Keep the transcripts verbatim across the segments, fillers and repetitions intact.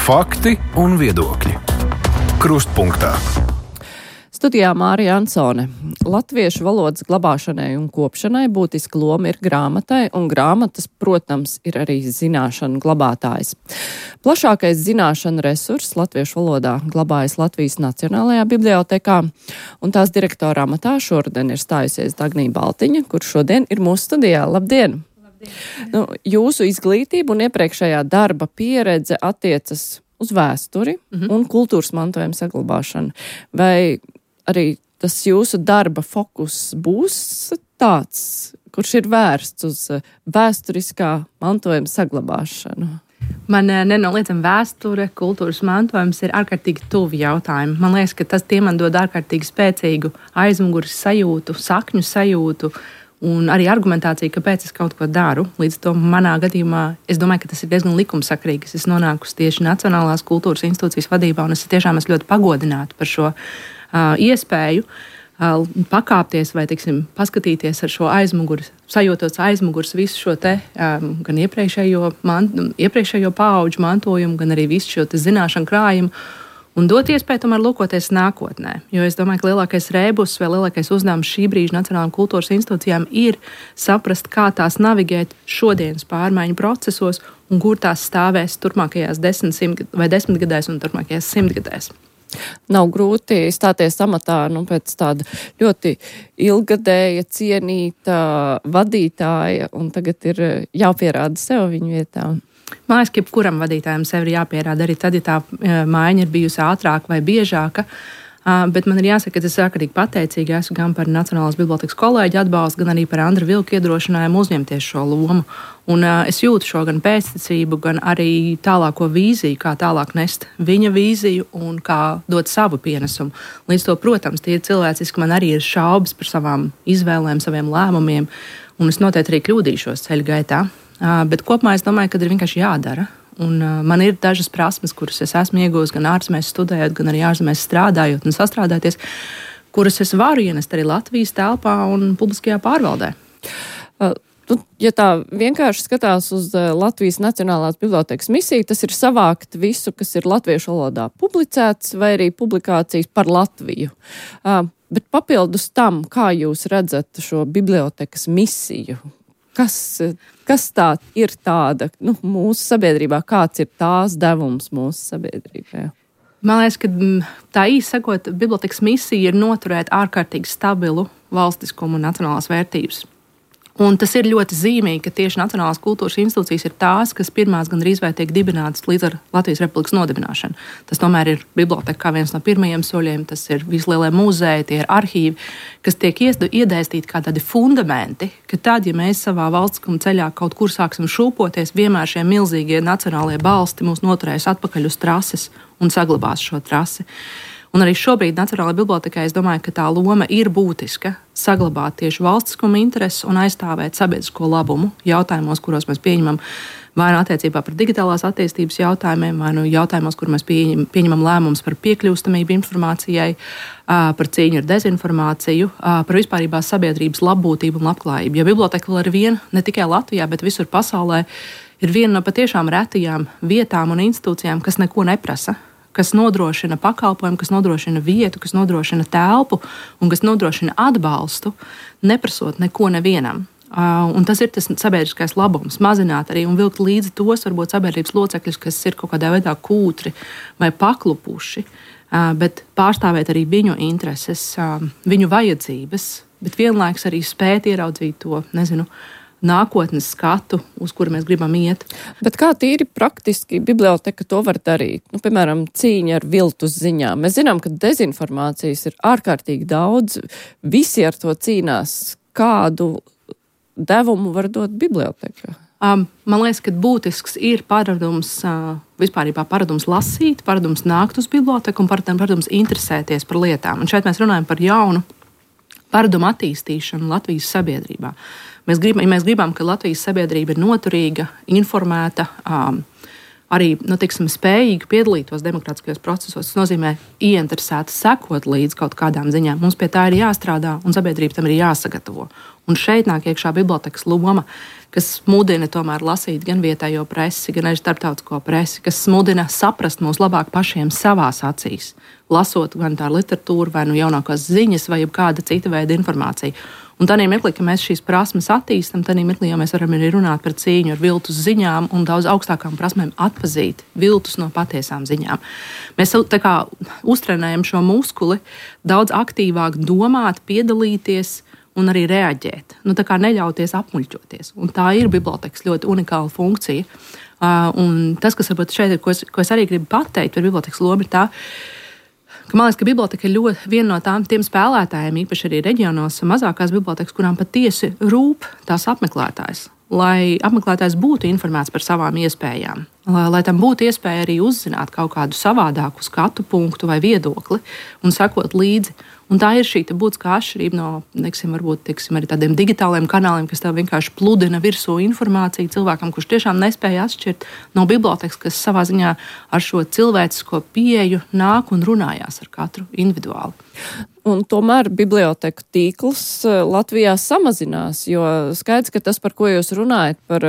Fakti un viedokļi. Krustpunktā. Studijā Mārija Ansone. Latviešu valodas glabāšanai un kopšanai būtiska loma ir grāmatai, un grāmatas, protams, ir arī zināšanu glabātājs. Plašākais zināšanu resurss latviešu valodā glabājas Latvijas Nacionālajā bibliotēkā, un tās direktora amatā šodien ir stājusies Dagnija Baltiņa, kur šodien ir mūsu studijā. Labdien! Labdien. Nu, jūsu izglītība un iepriekšējā darba pieredze attiecas uz vēsturi mm-hmm. un kultūras mantojuma saglabāšanu. Vai arī tas jūsu darba fokus būs tāds, kurš ir vērsts uz vēsturiskā mantojuma saglabāšanu? Man nenoliedzami vēsture, kultūras mantojums ir ārkārtīgi tuvi jautājumi. Man liekas, ka tas tie man dod ārkārtīgi spēcīgu aizmugures sajūtu, sakņu sajūtu un arī argumentāciju, kāpēc es kaut ko daru. Līdz to manā gadījumā es domāju, ka tas ir diezgan likumsakrīgi. Es esmu nonākusi tieši Nacionālās kultūras institūcijas vadībā, un es tiešām esmu ļoti pagodināta par šo uh, iespēju uh, pakāpties vai, teiksim, paskatīties ar šo aizmugures, sajūtot aizmugures visu šo te, um, gan iepriekšējo, man, iepriekšējo paauģu mantojumu, gan arī visu šo te zināšanu krājumu, un dot iespēju tomēr lūkoties nākotnē. Jo es domāju, ka lielākais rēbus vai lielākais uzdevums šī brīža Nacionālajām kultūras institūcijām ir saprast, kā tās navigēt šodienas pārmaiņu procesos un kur tās stāvēs turpmākajās desmit, simt vai desmitgadēs un turpmākajās simtgadēs. Nav grūti stāties amatā nu, pēc tāda ļoti ilgadēja, cienīta vadītāja, un tagad ir jāpierāda sev viņu vietā. Man liekas, ka jebkuram vadītājam sev ir jāpierāda arī tad, ja tā maiņa ir bijusi ātrāka vai biežāka. Bet man ir jāsaka, ka es ārkārtīgi pateicīgi esmu gan par Nacionālās bibliotēkas kolēģu atbalstu, gan arī par Andra Vilku iedrošinājumu uzņemties šo lomu. Un uh, es jūtu šo gan pēctecību, gan arī tālāko vīziju, kā tālāk nest viņa vīziju un kā dot savu pienesumu. Līdz to, protams, tie ir cilvēciski, man arī ir šaubas par savām izvēlēm, saviem lēmumiem, un es noteikti arī kļūdīšos ceļa gaitā. Uh, bet kopumā es domāju, ka ir vienkārši jādara. Un, uh, man ir dažas prasmes, kuras es esmu iegūst gan ārzemēs studējot, gan arī ārzemēs strādājot un sastrādāties, kuras es varu ienest arī Latvijas telpā un publiskajā pārvaldē. Uh. Ja tā vienkārši skatās uz Latvijas Nacionālās bibliotēkas misiju, tas ir savākt visu, kas ir latviešu valodā publicēts, vai arī publikācijas par Latviju. Uh, bet papildus tam, kā jūs redzat šo bibliotēkas misiju, kas, kas tā ir tāda nu, mūsu sabiedrībā, kāds ir tās devums mūsu sabiedrībā? Man liekas, ka tā īsi sakot, bibliotēkas misija ir noturēt ārkārtīgi stabilu valstiskumu un nacionālās vērtības. Un tas ir ļoti zīmīgi, ka tieši Nacionālās kultūras institūcijas ir tās, kas pirmās gandrīz vai tiek dibinātas līdz ar Latvijas Republikas nodibināšanu. Tas tomēr ir biblioteka kā viens no pirmajiem soļiem, tas ir vislielie muzeji, tie ir arhīvi, kas tiek iedēstīti kā tādi fundamenti, ka tad, ja mēs savā valstiskuma ceļā kaut kur sāksim šūpoties, vienmēr šie milzīgie nacionālie balsti mūs noturēs atpakaļ uz trases un saglabās šo trasi. Un arī šobrīd Nacionālajā bibliotēkā es domāju, ka tā loma ir būtiska saglabāt tieši valstiskuma intereses un aizstāvēt sabiedrisko labumu jautājumos, kuros mēs pieņemam vai nu attiecībā par digitālās attīstības jautājumiem, vai nu jautājumos, kur mēs pieņem, pieņemam lēmumus par piekļūstamību informācijai, par cīņu ar dezinformāciju, par vispārībā sabiedrības labbūtību un labklājību. Jo biblioteka vēl ar vienu, ne tikai Latvijā, bet visur pasaulē, ir viena no patiešām retajām vietām un institūcijām, kas neko neprasa, kas nodrošina pakalpojumu, kas nodrošina vietu, kas nodrošina telpu un kas nodrošina atbalstu, neprasot neko nevienam. Uh, un tas ir tas sabiedriskais labums, mazināt arī un vilkt līdzi tos, varbūt sabiedrības locekļus, kas ir kaut kādā veidā kūtri vai paklupuši, uh, bet pārstāvēt arī viņu intereses, uh, viņu vajadzības, bet vienlaiks arī spēt ieraudzīt to, nezinu, nākotnes skatu, uz kuru mēs gribam iet. Bet kā tīri praktiski biblioteka to var darīt? Nu, piemēram, cīņa ar viltus ziņām. Mēs zinām, ka dezinformācijas ir ārkārtīgi daudz. Visi ar to cīnās. Kādu devumu var dot biblioteka? Um, man liekas, ka būtisks ir paradums, uh, vispārībā paradums lasīt, paradums nākt uz biblioteku un paradums interesēties par lietām. Un šeit mēs runājam par jaunu paradumu attīstīšanu Latvijas sabiedrībā. Mēs gribam, ja mēs gribam, ka Latvijas sabiedrība ir noturīga, informēta, um, arī nu, tiksim, spējīga piedalītos demokrātiskajos procesos, tas nozīmē ieinteresēta sekot līdz kaut kādām ziņām. Mums pie tā ir jāstrādā un sabiedrība tam ir jāsagatavo. Un šeit nāk iekšā bibliotekas loma. kas mudina tomēr lasīt gan vietējo presi, gan arī starptautisko presi, kas mudina saprast mūs labāk pašiem savās acīs, lasot gan tā literatūru, vai nu jaunākās ziņas, vai kāda cita veida informācija. Un tādā mirklī, ka mēs šīs prasmes attīstam, tādā mirklī jau mēs varam arī runāt par cīņu ar viltus ziņām un daudz augstākām prasmēm atpazīt viltus no patiesām ziņām. Mēs tā kā uztrenējam šo muskuli daudz aktīvāk domāt, piedalīties un arī reaģēt. Nu, tā kā neļauties apmuļķoties. Un tā ir bibliotekas ļoti unikāla funkcija. Uh, un tas, kas varbūt šeit ir, ko es, ko es arī gribu pateikt par bibliotekas lomu, ir tā, ka man liekas, ka biblioteka ir ļoti viena no tām tiem spēlētājiem, īpaši arī reģionos, mazākās bibliotekas, kurām patiesi rūp tās apmeklētājs. Lai apmeklētājs būtu informēts par savām iespējām, lai, lai tam būtu iespēja arī uzzināt kaut kādu savādāku skatu punktu vai viedokli un sekot līdzi. Un tā ir šī būtiskā atšķirība no, neksim, varbūt, tiksim, arī tādiem digitāliem kanāliem, kas tev vienkārši pludina virsū informāciju cilvēkam, kurš tiešām nespēja atšķirt no bibliotekas, kas savā ziņā ar šo cilvēcisko pieeju nāk un runājās ar katru individuāli. Un tomēr biblioteku tīkls Latvijā samazinās, jo skaidrs, ka tas, par ko jūs runājat, par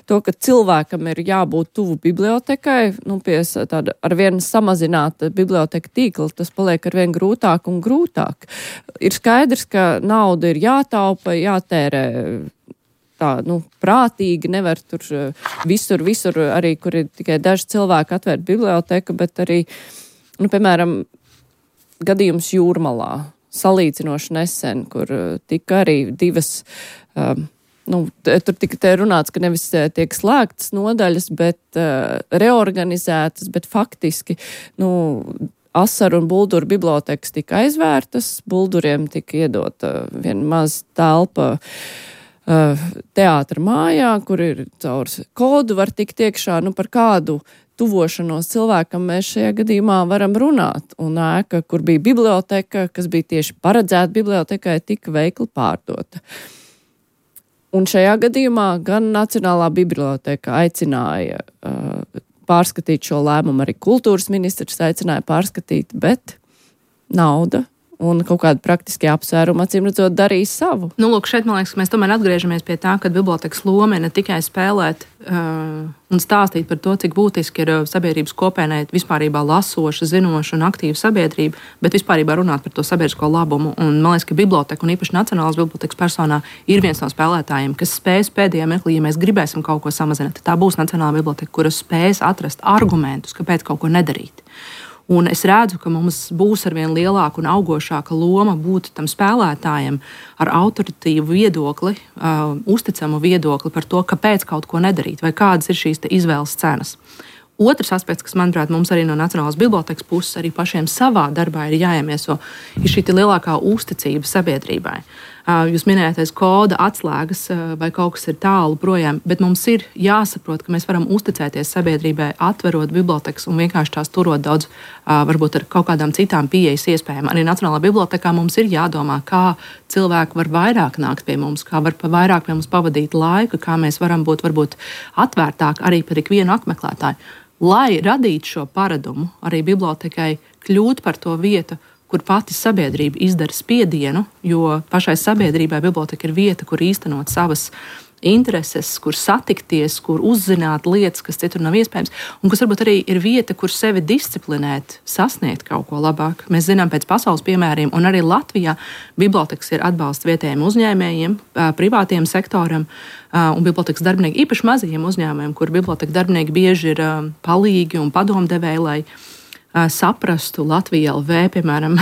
to, ka cilvēkam ir jābūt tuvu bibliotekai, nu, pie tāda arvien samazināta biblioteka tīkla, tas paliek arvien grūtāk un grūtāk. Ir skaidrs, ka nauda ir jātaupa, jātērē tā, nu, prātīgi, nevar tur visur, visur arī, kur ir tikai daži cilvēki atvērt biblioteku, bet arī, nu, piemēram, gadījums Jūrmalā, salīdzinoši nesen, kur tika arī divas, um, nu, tur tika te runāts, ka nevis tiek slēgtas nodaļas, bet uh, reorganizētas, bet faktiski, nu, Asaru un Bulduru bibliotekas tika aizvērtas, Bulduriem tika iedota viena maza telpa uh, teātra mājā, kur ir caur kodu var tikt iekšā, nu, par kādu tuvošanos cilvēkam mēs šajā gadījumā varam runāt. Un ēka, kur bija biblioteka, kas bija tieši paredzēta bibliotekai, tika veikli pārdota. Un šajā gadījumā gan Nacionālā biblioteka aicināja uh, pārskatīt šo lēmumu, arī kultūras ministrs aicināja pārskatīt, bet nauda un kaut kāda praktiskie apsvērumi, acīm redzot, darīja savu. Nu, lūk, šeit, man liekas, mēs tomēr atgriežamies pie tā, ka bibliotekas loma ne tikai spēlēt uh, un stāstīt par to, cik būtiski ir sabiedrības kopienai vispārībā lasoša, zinoša un aktīva sabiedrība, bet vispārībā runāt par to sabiedrisko labumu. Un man liekas, ka biblioteka un īpaši Nacionālās bibliotekas personā ir viens no spēlētājiem, kas spēs pēdējā mirklī, ja mēs gribēsim kaut ko samazināt. Tā būs Nacionālā biblioteka, kura spēs atrast argumentus, kāpēc kaut ko nedarīt. Un es redzu, ka mums būs arvien lielāka un augošāka loma būt tam spēlētājam ar autoritīvu viedokli, uh, uzticamu viedokli par to, kāpēc kaut ko nedarīt, vai kādas ir šīs izvēles cenas. Otrs aspekts, kas, manuprāt, mums arī no Nacionālās bibliotekas puses arī pašiem savā darbā ir jāiemieso, ir šī lielākā uzticība sabiedrībai. Jūs minējāties koda atslēgas vai kaut kas ir tālu projām, bet mums ir jāsaprot, ka mēs varam uzticēties sabiedrībai, atverot bibliotekas un vienkārši tās turot daudz, varbūt ar kaut kādām citām pieejas iespējām. Arī Nacionālā bibliotekā mums ir jādomā, kā cilvēki var vairāk nākt pie mums, kā var pa vairāk pie mums pavadīt laiku, kā mēs varam būt varbūt atvērtāk arī par ikvienu apmeklētāju. Lai radītu šo paradumu, arī bibliotekai kļūt par to vietu, kur pati sabiedrība izdara spiedienu, jo pašai sabiedrībai biblioteka ir vieta, kur īstenot savas intereses, kur satikties, kur uzzināt lietas, kas citur nav iespējams, un kas varbūt arī ir vieta, kur sevi disciplinēt, sasniegt kaut ko labāk. Mēs zinām pēc pasaules piemēriem, un arī Latvijā bibliotekas ir atbalsts vietējiem uzņēmējiem, privātiem sektoram, un bibliotekas darbinieki, īpaši mazajiem uzņēmējiem, kur biblioteka darbinieki bieži ir palīgi un padomdevēji, lai saprastu Latvijā L V, piemēram,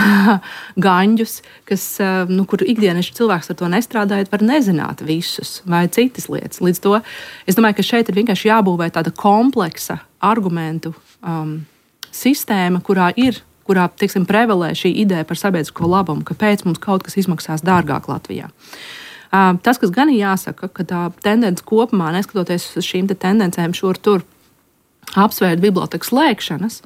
gaņģus, kas, nu, kur ikdieneši cilvēks ar to nestrādājot, var nezināt visus vai citas lietas. Līdz to es domāju, ka šeit ir vienkārši jābūvē tāda kompleksa argumentu um, sistēma, kurā ir, kurā, teiksim, prevalē šī ideja par sabiedrisko labumu, kāpēc mums kaut kas izmaksās dārgāk Latvijā. Uh, tas, kas gan ir jāsaka, ka tā tendence kopumā, neskatoties uz šīm te tendencēm šur tur, apsvērt bibliotekas slēgšanas,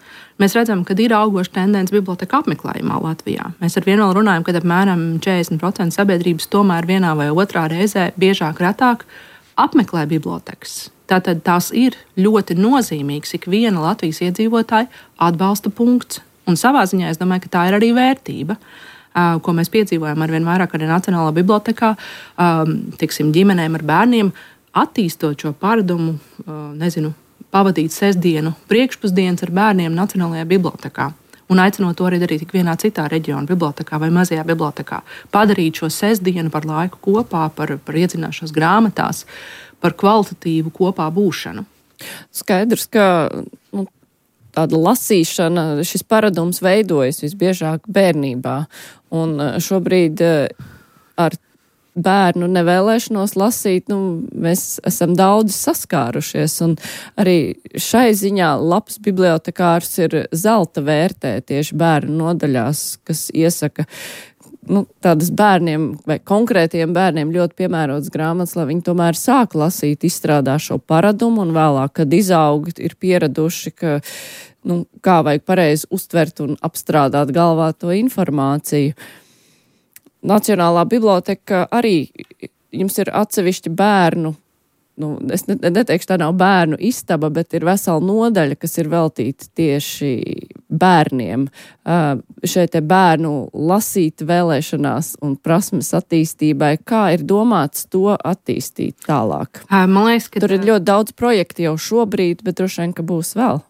mēs redzam, ka ir augoša tendence biblioteka apmeklējumā Latvijā. Mēs ar vienu vēl runājam, ka apmēram četrdesmit procenti sabiedrības tomēr vienā vai otrā reizē biežāk retāk apmeklē bibliotekas. Tātad tās ir ļoti nozīmīgs ikviena Latvijas iedzīvotāja atbalsta punkts. Un savā ziņā es domāju, ka tā ir arī vērtība, ko mēs piedzīvojam arvien vairāk arī Nacionālā bibliotekā, tiksim, ģimenēm ar bērniem, attīstot šo paradumu, nezinu, pavadīt sestdienu priekšpusdienas ar bērniem Nacionālajā bibliotekā. Un aicinot to arī darīt tik vienā citā reģiona bibliotekā vai mazajā bibliotekā. Padarīt šo sestdienu par laiku kopā, par, par iedzināšanos grāmatās, par kvalitatīvu kopā būšanu. Skaidrs, ka nu, tāda lasīšana, šis paradums veidojas visbiežāk bērnībā. Un šobrīd ar bērnu nevēlēšanos lasīt, nu, mēs esam daudz saskārušies, un arī šai ziņā labs bibliotekārs ir zelta vērtē tieši bērnu nodaļās, kas iesaka, nu, tādas bērniem vai konkrētiem bērniem ļoti piemērotas grāmatas, lai viņi tomēr sāk lasīt, izstrādā šo paradumu, un vēlāk, kad izaug, ir pieraduši, ka, nu, kā vajag pareizi uztvert un apstrādāt galvā to informāciju. Nacionālā biblioteka arī jums ir atsevišķi bērnu, nu, es neteikšu, tā nav bērnu istaba, bet ir vesela nodaļa, kas ir veltīta tieši bērniem. Šeit te bērnu lasīt vēlēšanās un prasmes attīstībai. Kā ir domāts to attīstīt tālāk? Man liekas, ka tur ir ļoti daudz projektu jau šobrīd, bet droši vien, ka būs vēl.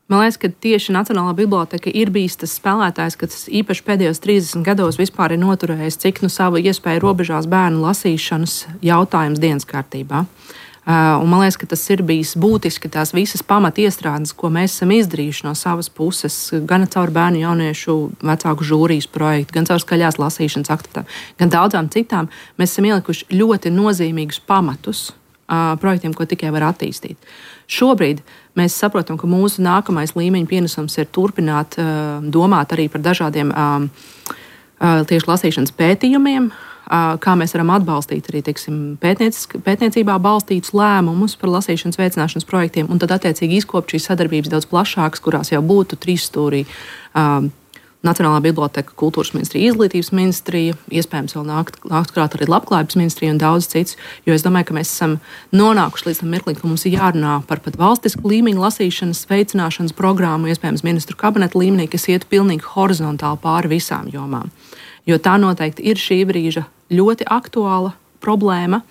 Man liekas, ka tieši Nacionālā biblioteka ir bijis tas spēlētājs, kas īpaši pēdējos trīsdesmit gados vispār ir noturējis, cik nu savu iespēju robežās bērnu lasīšanas jautājums dienas kārtībā. Uh, un man liekas, ka tas ir bijis būtiski tās visas pamatiestrādes, ko mēs esam izdarījuši no savas puses, gan caur bērnu jauniešu vecāku žūrijas projektu, gan caur skaļās lasīšanas aktivitātēm, gan daudzām citām. Mēs esam ielikuši ļoti nozīmīgus pamatus uh, projektiem, ko tikai var attīstīt. Šobrīd mēs saprotam, ka mūsu nākamais līmeņa pienesums ir turpināt uh, domāt arī par dažādiem uh, uh, tieši lasīšanas pētījumiem, uh, kā mēs varam atbalstīt arī teiksim, pētniecībā balstītus lēmumus par lasīšanas veicināšanas projektiem, un tad attiecīgi izkopt šīs sadarbības daudz plašākas, kurās jau būtu trīsstūrī uh, Nacionālā biblioteka, kultūras ministrija, izglītības ministrija, iespējams vēl nākt, nākt klāt arī labklājības ministrija un daudz cits, jo es domāju, ka mēs esam nonākuši līdz tam mirklim, ka mums ir jārunā par pat valstisku līmeņu lasīšanas veicināšanas programmu, iespējams ministru kabineta līmenī, kas iet pilnīgi horizontāli pāri visām jomām. Jo tā noteikti ir šī brīža ļoti aktuāla problēma,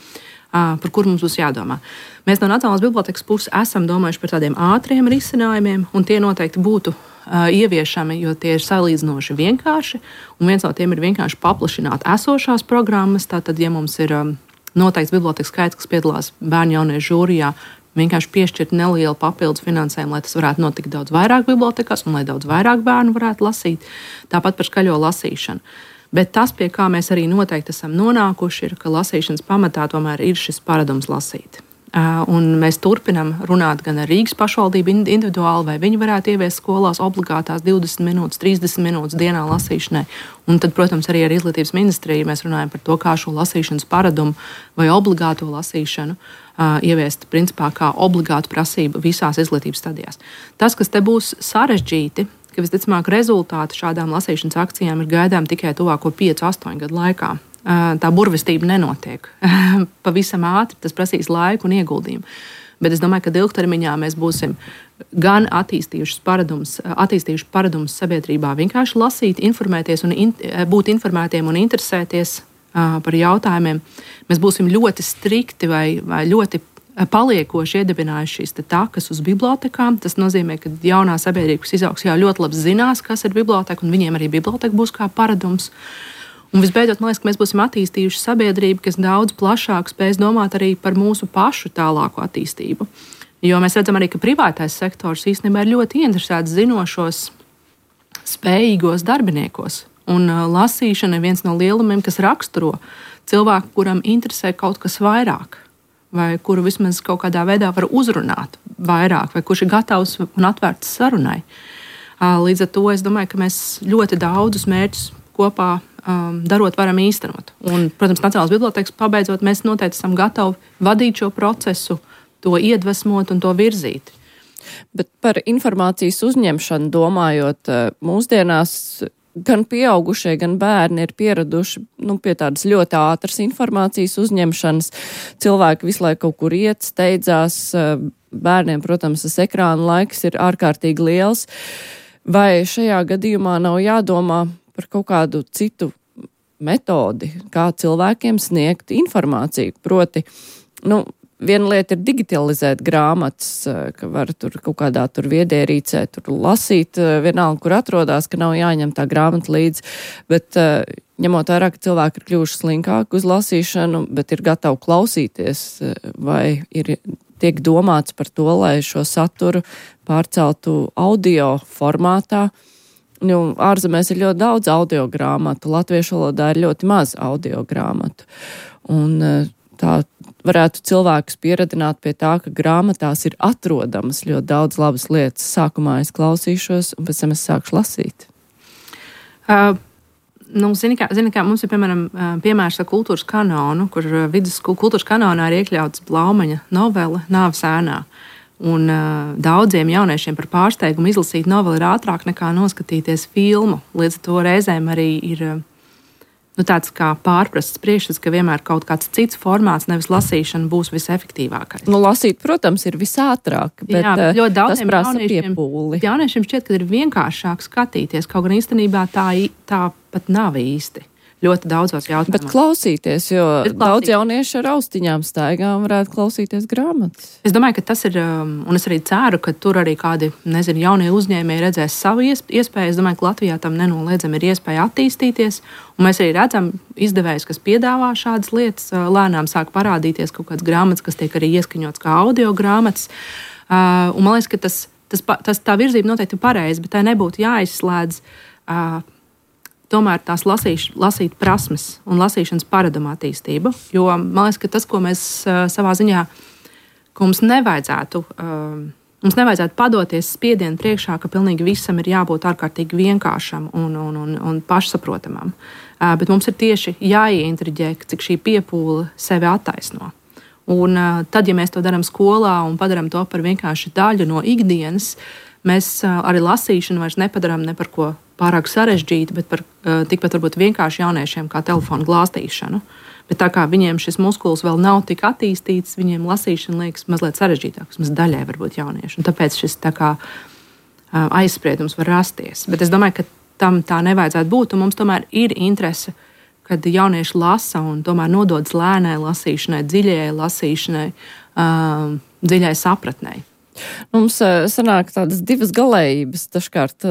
par kuru mums būs jādomā. Mēs no Nacionālās bibliotekas puses esam domājuši par tādiem ātriem risinājumiem, un tie noteikti būtu uh, ieviešami, jo tie ir salīdzinoši vienkārši, un viens no tiem ir vienkārši paplašināt esošās programmas. Tātad, ja mums ir um, noteikts bibliotekas skaits, kas piedalās bērnu jauniešu žūrijā, vienkārši piešķirt nelielu papildus finansējumu, lai tas varētu notikt daudz vairāk bibliotekās un lai daudz vairāk bērnu varētu lasīt. Tāpat par skaļo lasīšanu. Bet tas, pie kā mēs arī noteikti esam nonākuši, ir, ka lasīšanas pamatā tomēr ir šis paradums lasīt. Un mēs turpinam runāt gan ar Rīgas pašvaldību individuāli, vai viņi varētu ieviest skolās obligātās divdesmit minūtes, trīsdesmit minūtes dienā lasīšanai. Un tad, protams, arī ar izglītības ministriju mēs runājam par to, kā šo lasīšanas paradumu vai obligāto lasīšanu uh, ieviest principā kā obligātu prasību visās izglītības stadijās. Tas, kas te būs sarežģīti, ka visticamāk rezultāti šādām lasīšanas akcijām ir gaidām tikai tuvāko piecu, astoņu gadu laikā. Tā burvestība nenotiek pavisam ātri, tas prasīs laiku un ieguldījumu. Bet es domāju, ka ilgtermiņā mēs būsim gan attīstījuši paradumus, attīstījuši paradumus sabiedrībā vienkārši lasīt, informēties un in, būt informētiem un interesēties uh, par jautājumiem. Mēs būsim ļoti strikti vai, vai ļoti paliekoši iedibinājuši šīs takas uz bibliotekām. Tas nozīmē, ka jaunā sabiedrība, kas izaugs, jau ļoti labi zinās, kas ir biblioteka, un viņiem arī biblioteka būs kā paradums. Un visbeidzot, man liekas, ka mēs būsim attīstījuši sabiedrību, kas daudz plašāk spēs domāt arī par mūsu pašu tālāko attīstību. Jo mēs redzam arī, ka privātais sektors īstenībā ir ļoti interesēts zinošos, spējīgos darbiniekos. Un uh, lasīšana ir viens no lielumiem, kas raksturo cilvēku, kuram interesē kaut kas vairāk, vai kuru vismaz kaut kādā veidā var uzrunāt vairāk, vai kurš ir gatavs un atvērts sarunai. Līdz ar to es domāju, ka mēs ļoti daudzus mērķus kopā um, darot varam īstenot. Un, protams, Nacionālās bibliotekas pabeidzot, mēs noteikti esam gatavi vadīt šo procesu, to iedvesmot un to virzīt. Bet par informācijas uzņemšanu domājot, mūsdienās gan pieaugušie, gan bērni ir pieraduši nu, pie tādas ļoti ātras informācijas uzņemšanas. Cilvēki visu laiku kaut kur iet, steidzās. Bērniem, protams, tas ekrāna laiks ir ārkārtīgi liels. Vai šajā gadījumā nav jādomā par kaut kādu citu metodi, kā cilvēkiem sniegt informāciju? Proti, nu, viena lieta ir digitalizēt grāmatas, ka var tur kaut kādā tur viedierīcē tur lasīt, vienalga, kur atrodas, ka nav jāņem tā grāmata līdzi, bet ņemot vērā, ka cilvēki ir kļuvuši slinkāki uz lasīšanu, bet ir gatavi klausīties, vai ir tiek domāts par to, lai šo saturu pārceltu audio formātā. Nu, ārzemēs ir ļoti daudz audio grāmatu, latviešu valodā ir ļoti maz audio grāmatu. Un tā varētu cilvēkus pieradināt pie tā, ka grāmatās ir atrodamas ļoti daudz labas lietas. Sākumā es klausīšos, un pēc tam es sākšu lasīt. Uh, nu, zini kā, zini kā, mums ir, piemēram, piemērs ar kultūras kanonu, kur vidusskolu kultūras kanonā ir iekļauts Blaumaņa novele Nāves ēnā. Un uh, daudziem jauniešiem par pārsteigumu izlasīt noveli ir ātrāk nekā noskatīties filmu. Līdz ar to reizēm arī ir nu, tāds kā pārprasts priekšstats, ka vienmēr kaut kāds cits formāts, nevis lasīšana, būs visefektīvākais. Nu, lasīt, protams, ir visātrāk, bet Jā, bet ļoti tas prasa piepūli. Jauniešiem šķiet, ka ir vienkāršāk skatīties, kaut gan īstenībā tā, tā pat nav īsti. Ļoti daudzos jautājumos. Bet klausīties, jo Bet daudz jaunieši ar austiņām staigām varētu klausīties grāmatas. Es domāju, ka tas ir, un es arī ceru, ka tur arī kādi, nezinu, jaunie uzņēmēji redzēs savu iespēju. Es domāju, ka Latvijā tam nenoliedzami ir iespēja attīstīties, un mēs arī redzam izdevējus, kas piedāvā šādas lietas. Lēnām sāk parādīties kaut kāds grāmatas, kas tiek arī ieskaņots kā audio grāmatas. Un man liekas, ka tas, tas, tas tā virzība noteikti ir pareiza, bet tai nebūtu jāizslēdz tomēr tās lasīš, lasīt prasmes un lasīšanas paradumu attīstību. Jo man liekas, ka tas, ko mēs uh, savā ziņā, ko mums nevajadzētu, uh, mums nevajadzētu padoties spiedienu priekšā, ka pilnīgi visam ir jābūt ārkārtīgi vienkāršam un, un, un, un pašsaprotamam. Uh, bet mums ir tieši jāieintriģē, cik šī piepūle sevi attaisno. Un uh, tad, ja mēs to darām skolā un padaram to par vienkārši daļu no ikdienas, mēs uh, arī lasīšanu vairs nepadarām ne par ko pārāk sarežģīti, bet par uh, tikpat varbūt vienkārši jauniešiem kā telefonu glāstīšanu. Bet tā kā viņiem šis muskulis vēl nav tik attīstīts, viņiem lasīšana liekas mazliet sarežģītāk, vismaz daļai varbūt jaunieši. Un tāpēc šis tā kā uh, aizspriedums var rasties. Bet es domāju, ka tam tā nevajadzētu būt, un mums tomēr ir interese, kad jaunieši lasa un tomēr nododas lēnai lasīšanai, dziļajai lasīšanai, uh, dziļai sapratnei. Mums sanāk tādas divas galējības dažkārt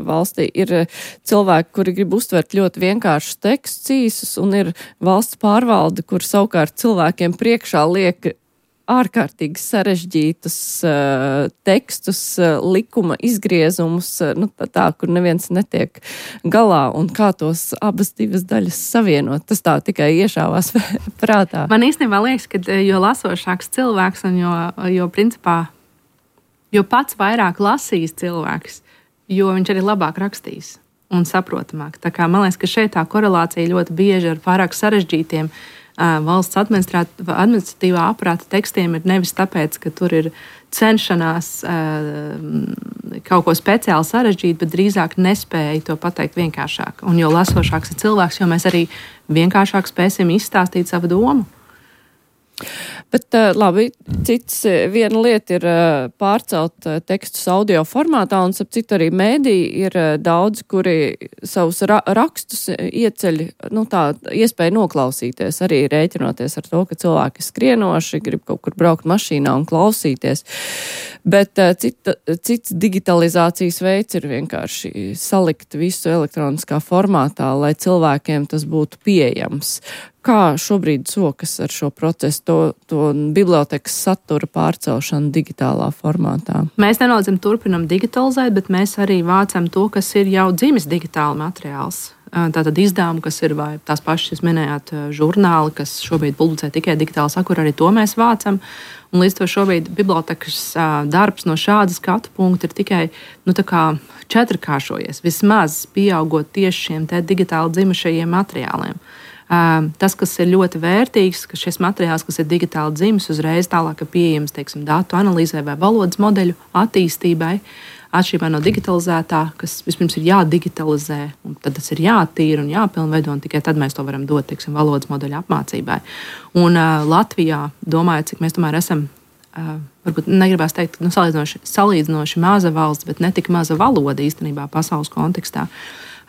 valstī. Ir cilvēki, kuri grib uztvert ļoti vienkāršus tekstus īsus, un ir valsts pārvalde, kur savukārt cilvēkiem priekšā liek ārkārtīgi sarežģītus uh, tekstus, uh, likuma izgriezumus, uh, nu, tā, tā, kur neviens netiek galā, un kā tos abas divas daļas savienot. Tas tā tikai iešāvās prātā. Man īstenībā liekas, ka jo lasošāks cilvēks, un jo, jo principā Jo pats vairāk lasīs cilvēks, jo viņš arī labāk rakstīs un saprotamāk. Tā kā man liekas, ka šeit tā korelācija ļoti bieži ar pārāk sarežģītiem uh, valsts administratīvā aparāta tekstiem ir nevis tāpēc, ka tur ir cenšanās uh, kaut ko speciāli sarežģīt, bet drīzāk nespēja to pateikt vienkāršāk. Un jo lasošāks ir cilvēks, jo mēs arī vienkāršāk spēsim izstāstīt savu domu. Bet labi, cits viena lieta ir pārcelt tekstus audio formātā, un ap citu arī mēdī ir daudz, kuri savus ra rakstus ieceļ, nu tā, iespēja noklausīties, arī rēķinoties ar to, ka cilvēki skrienoši, grib kaut kur braukt mašīnā un klausīties. Bet cita, cits digitalizācijas veids ir vienkārši salikt visu elektroniskā formātā, lai cilvēkiem tas būtu pieejams. Kā šobrīd sokas ar šo procesu, to, to bibliotekas satura pārcelšanu digitālā formātā? Mēs nenoliedzami turpinam digitalizēt, bet mēs arī vācam to, kas ir jau dzimis digitāli materiāls. Tātad izdevumi, kas ir vai tās pašas, jūs minējāt, žurnāli, kas šobrīd publicē tikai digitāli satura, arī to mēs vācam. Un līdz to šobrīd bibliotekas darbs no šāda skatu punkta ir tikai nu, tā kā četrkāršojies, vismaz pieaugot tieši šiem te digitāli dzimušajiem materiāliem. Tas, kas ir ļoti vērtīgs, ka šis materiāls, kas ir digitāli dzimis, uzreiz tālāk ir pieejams, teiksim, datu analīzē vai valodas modeļu attīstībai, atšķirībā no digitalizētā, kas vispirms ir jādigitalizē, un tad tas ir jātīra un jāpilnveido, un tikai tad mēs to varam dot, teiksim, valodas modeļu apmācībai. Un uh, Latvijā, domājot, cik mēs tomēr esam, uh, varbūt negribās teikt, nu, salīdzinoši, salīdzinoši maza valsts, bet ne tik maza valoda īstenībā pasaules kontekstā.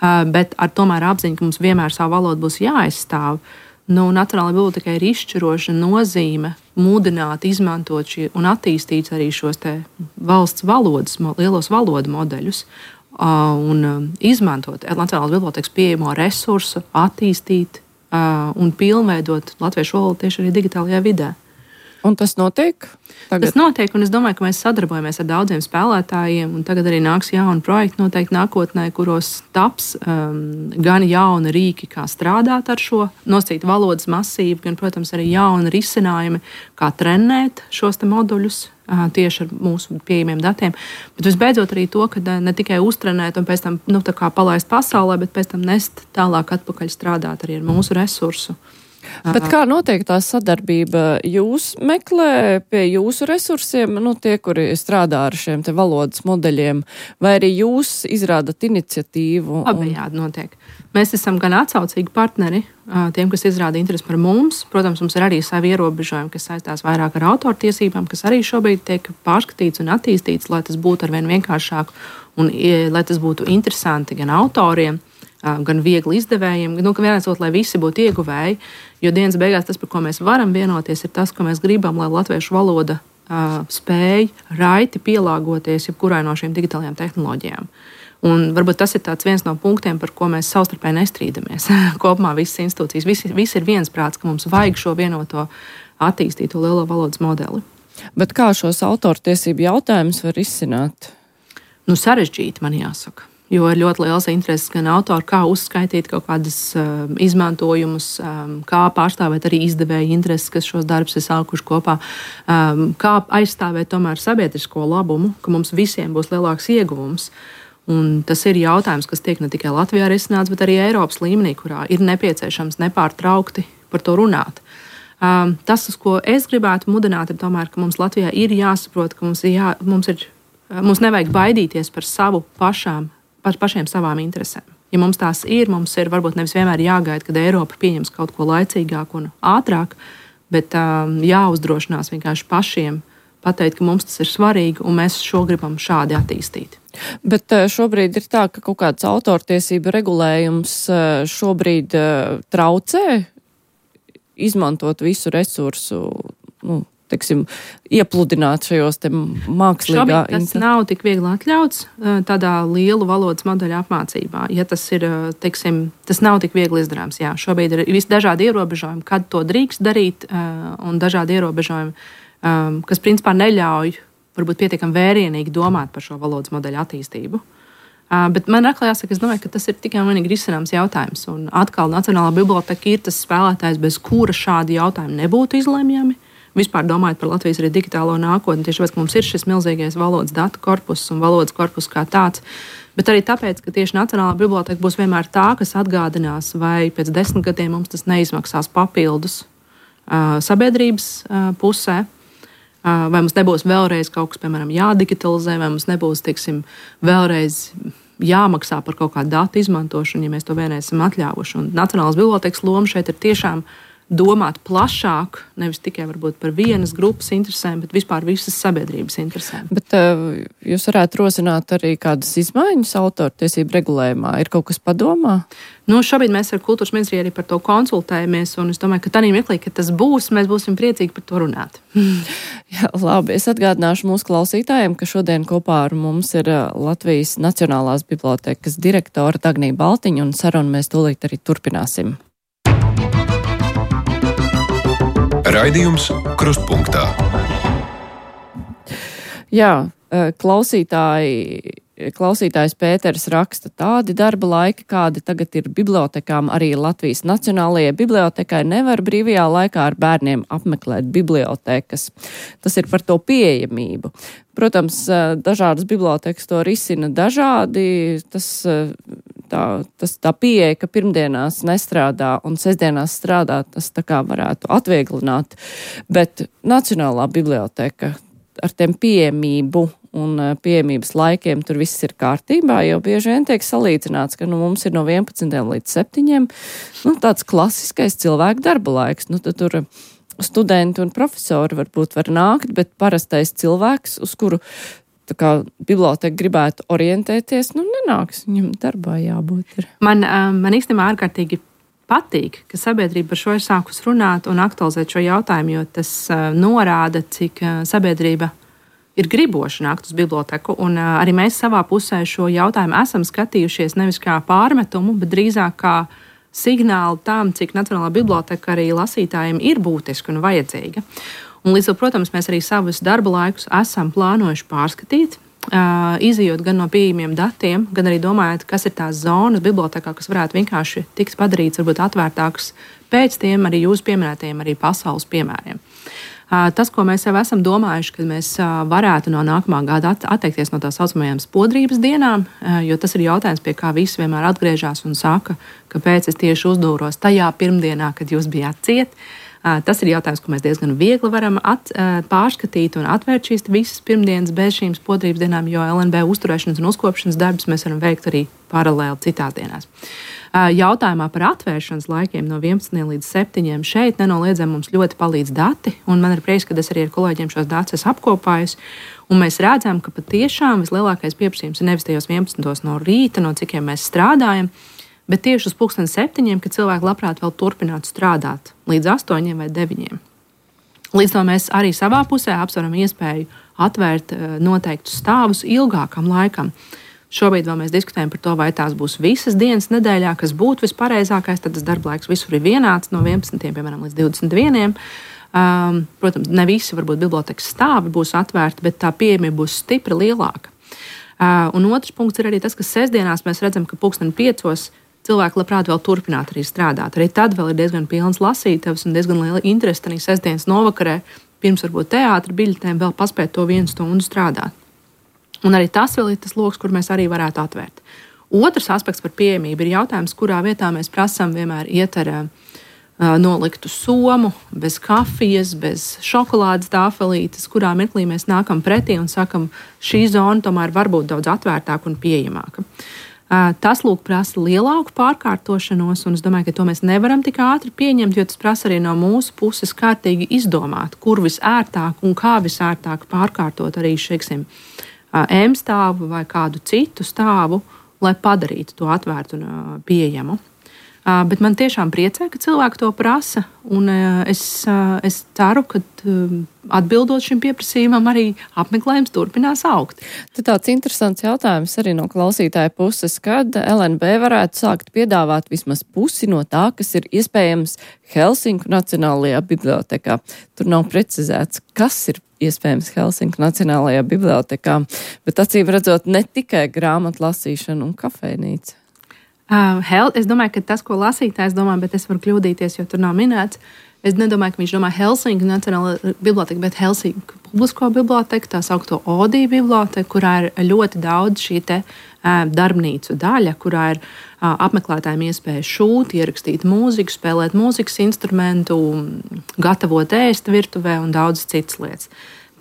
Uh, bet ar tomēr apziņu, ka mums vienmēr savu valodu būs jāaizstāv, Nu, Nacionālajai bibliotekai ir izšķiroša nozīme mudināt, izmantot šie, un attīstīt arī šos te valsts valodas, lielos valodu modeļus uh, un uh, izmantot Nacionālās bibliotekas pieejamo resursu, attīstīt uh, un pilnveidot latviešu valodu tieši arī digitālajā vidē. Un tas notiek? Tagad? Tas notiek, un es domāju, ka mēs sadarbojamies ar daudziem spēlētājiem, un tagad arī nāks jauni projekti noteikti nākotnē, kuros taps um, gan jauni rīki, kā strādāt ar šo nosacītu valodas masīvu, gan, protams, arī jauni risinājumi, kā trenēt šos te moduļus uh, tieši ar mūsu pieejamiem datiem. Bet visbeidzot arī to, ka uh, ne tikai uztrenēt un pēc tam nu, tā kā palaist pasaulē, bet pēc tam nest tālāk atpakaļ strādāt arī ar mūsu resursu. Bet kā notiek tā sadarbība? Jūs meklē pie jūsu resursiem, nu, tie, kuri strādā ar šiem te valodas modeļiem, vai arī jūs izrādat iniciatīvu? Abejādi un... notiek. Mēs esam gan atsaucīgi partneri tiem, kas izrāda interesi par mums. Protams, mums ir arī savi ierobežojumi, kas saistās vairāk ar autortiesībām, kas arī šobrīd tiek pārskatīts un attīstīts, lai tas būtu arvien vienkāršāk un lai tas būtu interesanti gan autoriem, gan viegli izdevējiem, nu, ka vienācot, lai visi būtu ieguvēji, jo dienas beigās tas, par ko mēs varam vienoties, ir tas, ko mēs gribam, lai latviešu valoda uh, spēj raiti pielāgoties jebkurai no šīm digitālajām tehnoloģijām. Un varbūt tas ir tāds viens no punktiem, par ko mēs savstarpēji nestrīdamies. Kopumā visas institūcijas, visi, visi ir viensprāts, ka mums vajag šo vienoto attīstīto lielo valodas modeli. Bet kā šos autortiesību jautājumus var izsināt? Nu, sarežģīti, man jāsaka. Jo ir ļoti liels intereses gan autori, kā uzskaitīt kaut kādas uh, izmantojumus, um, kā pārstāvēt arī izdevēju intereses, kas šos darbus ir sākuši kopā, um, kā aizstāvēt tomēr sabiedrisko labumu, ka mums visiem būs lielāks ieguvums. Un tas ir jautājums, kas tiek ne tikai Latvijā risināts, bet arī Eiropas līmenī, kurā ir nepieciešams nepārtraukti par to runāt. Um, tas, uz ko es gribētu mudināt, ir tomēr, ka mums Latvijā ir jāsaprot, ka mums, ir jā, mums, ir, mums nevajag baidīties par savu pašām par pašiem savām interesēm. Ja mums tās ir, mums ir varbūt nevis vienmēr jāgaida, kad Eiropa pieņems kaut ko laicīgāk un ātrāk, bet um, jāuzdrošinās vienkārši pašiem pateikt, ka mums tas ir svarīgi un mēs šo gribam šādi attīstīt. Bet šobrīd ir tā, ka kaut kāds autortiesība regulējums šobrīd traucē izmantot visu resursu, nu, teiksim, iepludināt šajos te mākslīgā... Šobrīd tas inter... nav tik viegli atļauts tādā lielu valodas modeļa apmācībā. Ja tas ir, teiksim, tas nav tik viegli izdarāms. Jā, šobrīd ir visi dažādi ierobežojumi, kad to drīkst darīt, un dažādi ierobežojumi, kas principā neļauj varbūt pietiekami vērienīgi domāt par šo valodas modeļa attīstību. Bet man atkal jāsaka, es domāju, ka tas ir tikai vienīgi risināms jautājums. Un atkal Nacionālā biblioteka ir tas spēlētājs, bez kura šādi jautājumi nebūtu izlemjami. Vispār domājot par Latvijas arī digitālo nākotni, tieši tāpēc, ka mums ir šis milzīgais valodas datu korpus un valodas korpus kā tāds, bet arī tāpēc, ka tieši Nacionālā biblioteka būs vienmēr tā, kas atgādinās, vai pēc desmit gadiem mums tas neizmaksās papildus uh, sabiedrības uh, pusē, uh, vai mums nebūs vēlreiz kaut kas, piemēram, jādigitalizē, vai mums nebūs, teiksim, vēlreiz jāmaksā par kaut kādu datu izmantošanu, ja mēs to vienreiz esam atļāvuši. Un Nacionālās bibliotekas loma šeit ir tiešām domāt plašāk, nevis tikai varbūt par vienas grupas interesēm, bet vispār visas sabiedrības interesēm. Bet uh, jūs varētu rosināt arī kādas izmaiņas autortiesību regulējumā? Ir kaut kas padomā? Nu, šobrīd mēs ar kultūras ministriju arī par to konsultējamies, un es domāju, ka tādā mirklī, kad tas būs, mēs būsim priecīgi par to runāt. Jā, labi, es atgādināšu mūsu klausītājiem, ka šodien kopā ar mums ir Latvijas Nacionālās bibliotekas direktora Dagnija Baltiņa, un sarunu mēs tūlīt arī turpināsim. Raidījums Krustpunktā. Jā, klausītāji, klausītājs Pēters raksta, tādi darba laiki, kādi tagad ir bibliotekām, arī Latvijas Nacionālajai bibliotekai nevar brīvajā laikā ar bērniem apmeklēt bibliotekas. Tas ir par to pieejamību. Protams, dažādas bibliotekas to risina dažādi. Tas, tā, tas tā pieeja, ka pirmdienās nestrādā un sestdienās strādā, tas tā kā varētu atvieglināt. Bet Nacionālā biblioteka ar tiem pieejamību un pieejamības laikiem tur viss ir kārtībā, jo bieži vien tiek salīdzināts, ka nu, mums ir no vienpadsmitiem līdz septiņiem nu, tāds klasiskais cilvēku darba laiks. Nu, tur studenti un profesori varbūt var nākt, bet parastais cilvēks, uz kuru tā kā biblioteka gribētu orientēties, nu nenāks, viņam darbā jābūt. Ir. Man, man īstenībā ārkārtīgi patīk, ka sabiedrība par šo ir sākus runāt un aktualizēt šo jautājumu, jo tas uh, norāda, cik uh, sabiedrība ir griboši nākt uz biblioteku. Un uh, arī mēs savā pusē šo jautājumu esam skatījušies nevis kā pārmetumu, bet drīzāk kā signālu tam, cik Nacionālā biblioteka arī lasītājiem ir būtiska un vajadzīga. Un līdz ar to, protams, mēs arī savus darba laikus esam plānojuši pārskatīt. Uh, izejot gan no pieejamiem datiem, gan arī domājot, kas ir tās zonas bibliotekā, kas varētu vienkārši tikt padarīts, varbūt atvērtāks pēc tiem arī jūs pieminētajiem arī pasaules piemēriem. Uh, tas, ko mēs jau esam domājuši, kad mēs uh, varētu no nākamā gada at- atteikties no tā saucamajām spodrības dienām, uh, jo tas ir jautājums, pie kā visi vienmēr atgriežas un saka, kāpēc es tieši uzdūros tajā pirmdienā, kad jūs bijāt ciet. Tas ir jautājums, ko mēs diezgan viegli varam at, pārskatīt un atvērt šīs visas pirmdienas bez šīm spodrības dienām, jo L N B uzturēšanas un uzkopšanas darbus mēs varam veikt arī paralēli citās dienās. Jautājumā par atvēršanas laikiem no vienpadsmitiem līdz septiņiem šeit nenoliedzami mums ļoti palīdz dati, un man ir prieks, ka es arī ar kolēģiem šos datus esmu apkopājis, un mēs redzam, ka patiešām vislielākais pieprasījums ir nevis tajos vienpadsmitos no rīta, no cikiem mēs strādājam, bet tieši uz pulksten septiņiem, kad cilvēki labprāt vēl turpinātu strādāt līdz astoņiem vai deviņiem. Līdz to mēs arī savā pusē apsveram iespēju atvērt noteiktus stāvus ilgākam laikam. Šobrīd vēl mēs diskutējam par to, vai tās būs visas dienas nedēļā, kas būtu vispareizākais, tad tas darba laiks visur ir vienāds no vienpadsmitiem, piemēram, līdz divdesmit vieniem. Um, protams, ne visi varbūt bibliotekas stāvi būs atvērti, bet tā pieejamība būs stipri lielāka. Uh, un otrs punkts ir arī tas, ka sestdienās mēs redzam, ka pulksten piecos cilvēki labprāt vēl turpināt arī strādāt. Arī tad vēl ir diezgan pilns lasītavs un diezgan liela interese arī sestdienas novakarē, pirms varbūt teātra biļetēm vēl paspēt to vienu stundu strādāt. Un arī tas vēl ir tas loks, kur mēs arī varētu atvērt. Otrs aspekts par pieejamību ir jautājums, kurā vietā mēs prasam vienmēr iet ar uh, noliktu somu, bez kafijas, bez šokolādes tāfelītes, kurā mirklī mēs nākam pretī un sakam, šī zona tomēr var būt daudz atvērtāka un pieejamāka. Tas, lūk, prasa lielāku pārkārtošanos, un es domāju, ka to mēs nevaram tik ātri pieņemt, jo tas prasa arī no mūsu puses kārtīgi izdomāt, kur visērtāk un kā visērtāk pārkārtot arī šeiksim M stāvu vai kādu citu stāvu, lai padarītu to atvērtu un pieejamu. Uh, bet man tiešām priecē, ka cilvēki to prasa, un uh, es, uh, es ceru, ka uh, atbildot šim pieprasījumam arī apmeklējums turpinās augt. Tad tāds interesants jautājums arī no klausītāja puses, kad L N B varētu sākt piedāvāt vismaz pusi no tā, kas ir iespējams Helsinku Nacionālajā bibliotekā. Tur nav precizēts, kas ir iespējams Helsinku Nacionālajā bibliotekā, bet acīm redzot ne tikai grāmatu lasīšana un kafejnīca. Uh, hel, es domāju, ka tas, ko lasītājs domā, bet es varu kļūdīties, jo tur nav minēts. Es nedomāju, ka viņš domā Helsinku Nacionālo biblioteku, bet Helsinku publisko biblioteku, tā saukto Odī biblioteku, kurā ir ļoti daudz šī te uh, darbnīcu daļa, kurā ir uh, apmeklētājiem iespēja šūt, ierakstīt mūziku, spēlēt mūzikas instrumentu, gatavot ēst virtuvē un daudz citas lietas.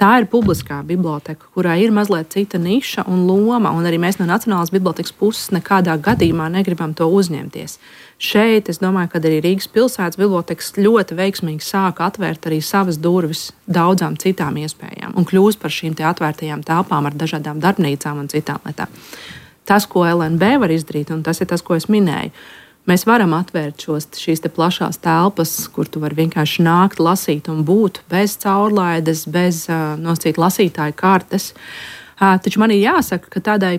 Tā ir publiskā biblioteka, kurā ir mazliet cita niša un loma, un arī mēs no Nacionālās bibliotekas puses nekādā gadījumā negribam to uzņemties. Šeit, es domāju, ka arī Rīgas pilsētas bibliotekas ļoti veiksmīgi sāka atvērt arī savas durvis daudzām citām iespējām un kļūst par šīm te atvērtajām telpām ar dažādām darbnīcām un citām lietām. Tas, ko L N B var izdarīt, un tas ir tas, ko es minēju, mēs varam atvērt šos, šīs te plašās telpas, kur tu vari vienkārši nākt, lasīt un būt bez caurlaides, bez uh, nosacīt lasītāju kartes. Uh, taču man ir jāsaka, ka tādai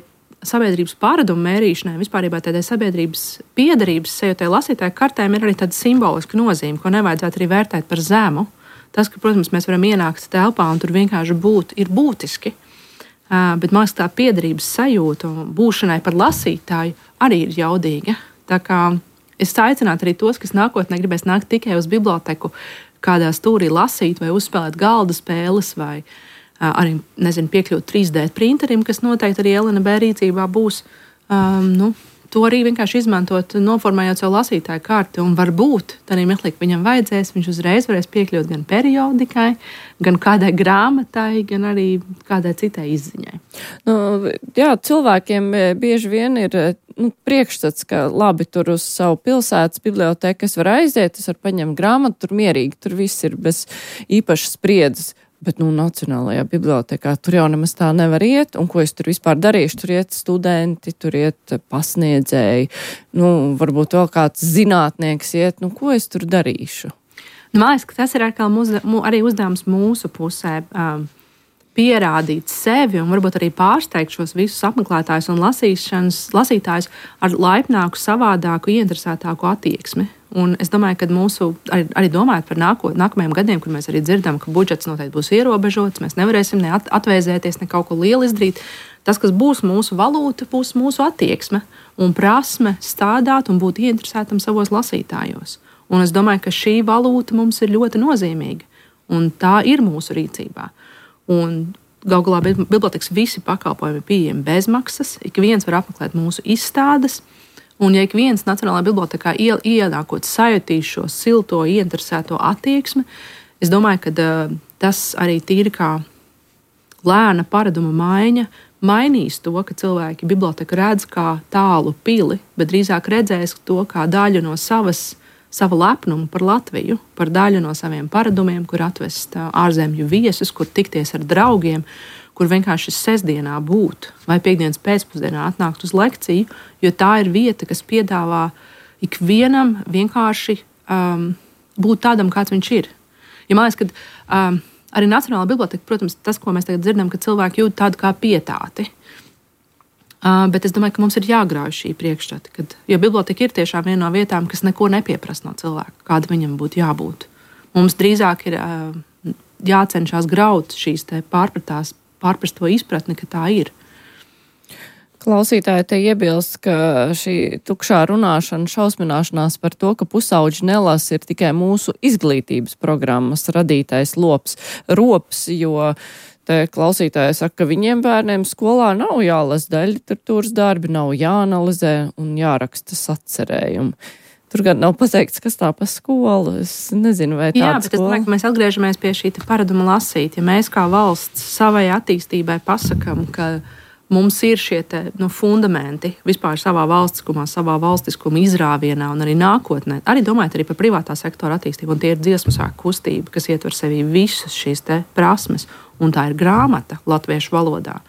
sabiedrības pārādumu mērīšanai, vispārībā tādai sabiedrības piederības sajūtai lasītāju kartēm ir arī tāda simboliska nozīme, ko nevajadzētu arī vērtēt par zemu. Tas, ka, protams, mēs varam ienākt telpā un tur vienkārši būt, ir būtiski. Uh, bet man liekas, tā piederības sajūta un būšanai par lasītāju arī ir jaudīga. Tā kā es aicinātu arī tos, kas nākotnē gribēs nākt tikai uz biblioteku, kādā stūrī lasīt vai uzspēlēt galda spēles vai uh, arī, nezinu, piekļūt trīs D printerim, kas noteikti arī L N B rīcībā būs, um, nu, to arī vienkārši izmantot, noformējot savu lasītāju karti, un varbūt tādā mirklī, ka viņam vajadzēs, viņš uzreiz varēs piekļūt gan periodikai, gan kādai grāmatai, gan arī kādai citai izziņai. Nu, jā, cilvēkiem bieži vien ir nu, priekšstats, ka labi, tur uz savu pilsētas biblioteku es varu aiziet, es varu paņemt grāmatu, tur mierīgi, tur viss ir bez īpašas spriedzes. Bet, nu, Nacionālajā bibliotēkā tur jau nemaz tā nevar iet, un ko es tur vispār darīšu? Tur iet studenti, tur iet pasniedzēji, nu, varbūt vēl kāds zinātnieks iet, nu, ko es tur darīšu? Nu, man liekas, ka tas ir arī uzdevums mūsu pusē. Um, pierādīt sevi un varbūt arī pārsteigt šos visus apmeklētājus un lasītājus ar laipnāku, savādāku, ieinteresētāku attieksmi. Un es domāju, ka mūsu, arī, arī domājot par nāko, nākamajiem gadiem, kur mēs arī dzirdam, ka budžets noteikti būs ierobežots, mēs nevarēsim ne at, atvēzēties, ne kaut ko lielu izdarīt. Tas, kas būs mūsu valūta, būs mūsu attieksme un prasme stādāt un būt ieinteresētam savos lasītājos. Un es domāju, ka šī valūta mums ir ļoti nozīmīga, un tā ir mūsu rīcībā. Un galu galā bibliotekas visi pakalpojumi ir pieejami bezmaksas, ik viens var apmeklēt mūsu izstādes, un ja ik viens Nacionālajā bibliotekā ienākot sajutīs šo silto, ieinteresēto attieksmi, es domāju, ka uh, tas arī tīri kā lēna paraduma maiņa mainīs to, ka cilvēki biblioteku redz kā tālu pili, bet drīzāk redzēs to kā daļu no savas savu lepnumu par Latviju, par daļu no saviem paradumiem, kur atvest ārzemju viesus, kur tikties ar draugiem, kur vienkārši sestdienā būt vai piekdienas pēcpusdienā atnākt uz lekciju, jo tā ir vieta, kas piedāvā ikvienam vienkārši um, būt tādam, kāds viņš ir. Ja man liekas, ka um, arī Nacionālā biblioteka, protams, tas, ko mēs tagad dzirdam, ka cilvēki jūt tādu kā pietāti. Uh, bet es domāju, ka mums ir jāgrauj šī priekšstata, kad, jo biblioteka ir tiešām viena no vietām, kas neko nepieprasa no cilvēka, kāda viņam būtu jābūt. Mums drīzāk ir uh, jācenšas graut šīs te pārpratās, pārprasto izpratni, ka tā ir. Klausītāji te iebilst, ka šī tukšā runāšana, šausmināšanās par to, ka pusauģi nelasa, ir tikai mūsu izglītības programmas radītais lops, rops, jo te klausītāji saka, ka viņiem bērniem skolā nav jālasa daļa literatūras darbi, nav jāanalizē un jāraksta sacerējumi. Tur gan nav pateikts, kas tā pa skolu. Es nezinu, vai tāda Jā, bet skola. Es domāju, ka mēs atgriežamies pie šī paraduma lasīt. Ja mēs kā valsts savai attīstībai pasakam, ka mums ir šie te, nu, fundamenti vispār savā valstiskumā, savā valstiskuma izrāvienā un arī nākotnē, arī domājot arī par privātā sektora attīstību, un tie ir dziesmu svētku kustība, kas ietver sevī visas šīs te prasmes, un tā ir grāmata latviešu valodā.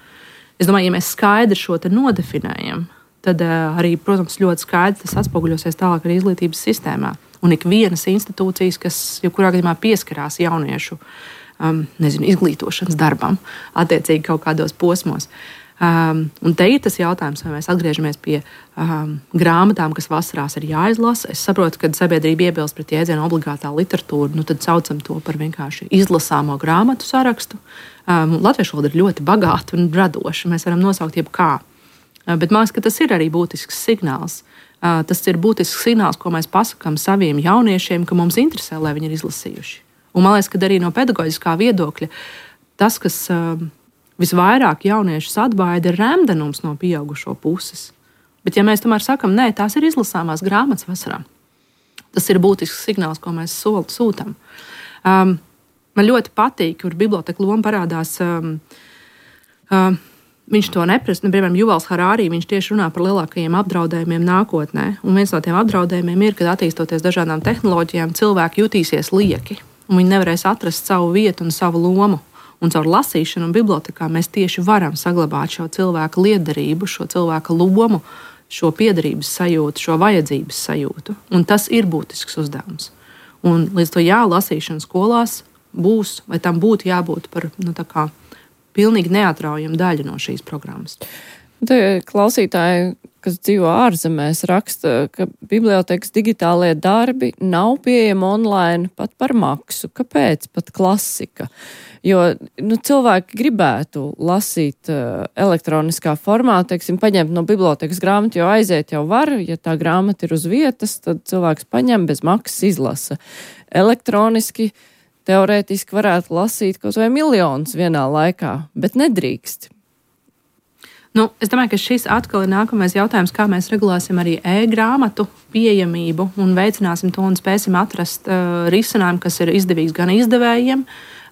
Es domāju, ja mēs skaidri šo te nodefinējam, tad uh, arī, protams, ļoti skaidri tas atspoguļosies tālāk arī izglītības sistēmā. Un ik vienas institūcijas, kas jebkurā gadījumā pieskarās jauniešu um, nezinu, izglītošanas darbam, attiecīgi kaut kādos posmos. Um, un te ir tas jautājums, vai mēs atgriežamies pie um, grāmatām, kas vasarās ir jāizlasa. Es saprotu, ka sabiedrība iebilst pret jēdzienu obligātā literatūra, nu tad saucam to par vienkārši izlasāmo grāmatu sarakstu. Um, Latviešu valoda ir ļoti bagāta un radoša. Mēs varam nosaukt jebkā. Uh, bet man liekas, ka tas ir arī būtisks signāls. Uh, tas ir būtisks signāls, ko mēs pasakām saviem jauniešiem, ka mums interesē, lai viņi ir izlasījuši. Un man liekas, ka arī no pedagoģiskā viedokļa tas, kas uh, visvairāk jauniešus atbaida, ir remdenums no pieaugušo puses. Bet ja mēs tomēr sakam, nē, tās ir izlasāmās grāmatas vasarā, tas ir būtisks signāls, ko mēs sūtam. Um, man ļoti patīk, kur biblioteka loma parādās. Um, um, viņš to neprasa, nu, piemēram, Juvals Harārī, viņš tieši runā par lielākajiem apdraudējumiem nākotnē. Un viens no tiem apdraudējumiem ir, kad attīstoties dažādām tehnoloģijām, cilvēki jutīsies lieki, un viņi nevarēs atrast savu vietu un savu lomu. Un caur lasīšanu un bibliotekā mēs tieši varam saglabāt šo cilvēku lietderību, šo cilvēku lomu, šo piederības sajūtu, šo vajadzības sajūtu. Un tas ir būtisks uzdevums. Un līdz to jā, lasīšana skolās būs, vai tam būtu jābūt par, nu, tā kā pilnīgi neatraujama daļa no šīs programmas. Te klausītāji, kas dzīvo ārzemēs, raksta, ka bibliotekas digitālie darbi nav pieejami online pat par maksu. Kāpēc? Pat klasika. Jo nu, cilvēki gribētu lasīt uh, elektroniskā formā, teiksim, paņemt no bibliotekas grāmatu, jo aiziet jau var, ja tā grāmata ir uz vietas, tad cilvēks paņem bez maksas izlasa. Elektroniski, teorētiski varētu lasīt kaut vai miljonus vienā laikā, bet nedrīkst. Nu, es domāju, ka šis atkal ir nākamais jautājums, kā mēs regulēsim arī e-grāmatu pieejamību un veicināsim to un spēsim atrast uh, risinājumu, kas ir izdevīgs gan izdevējiem,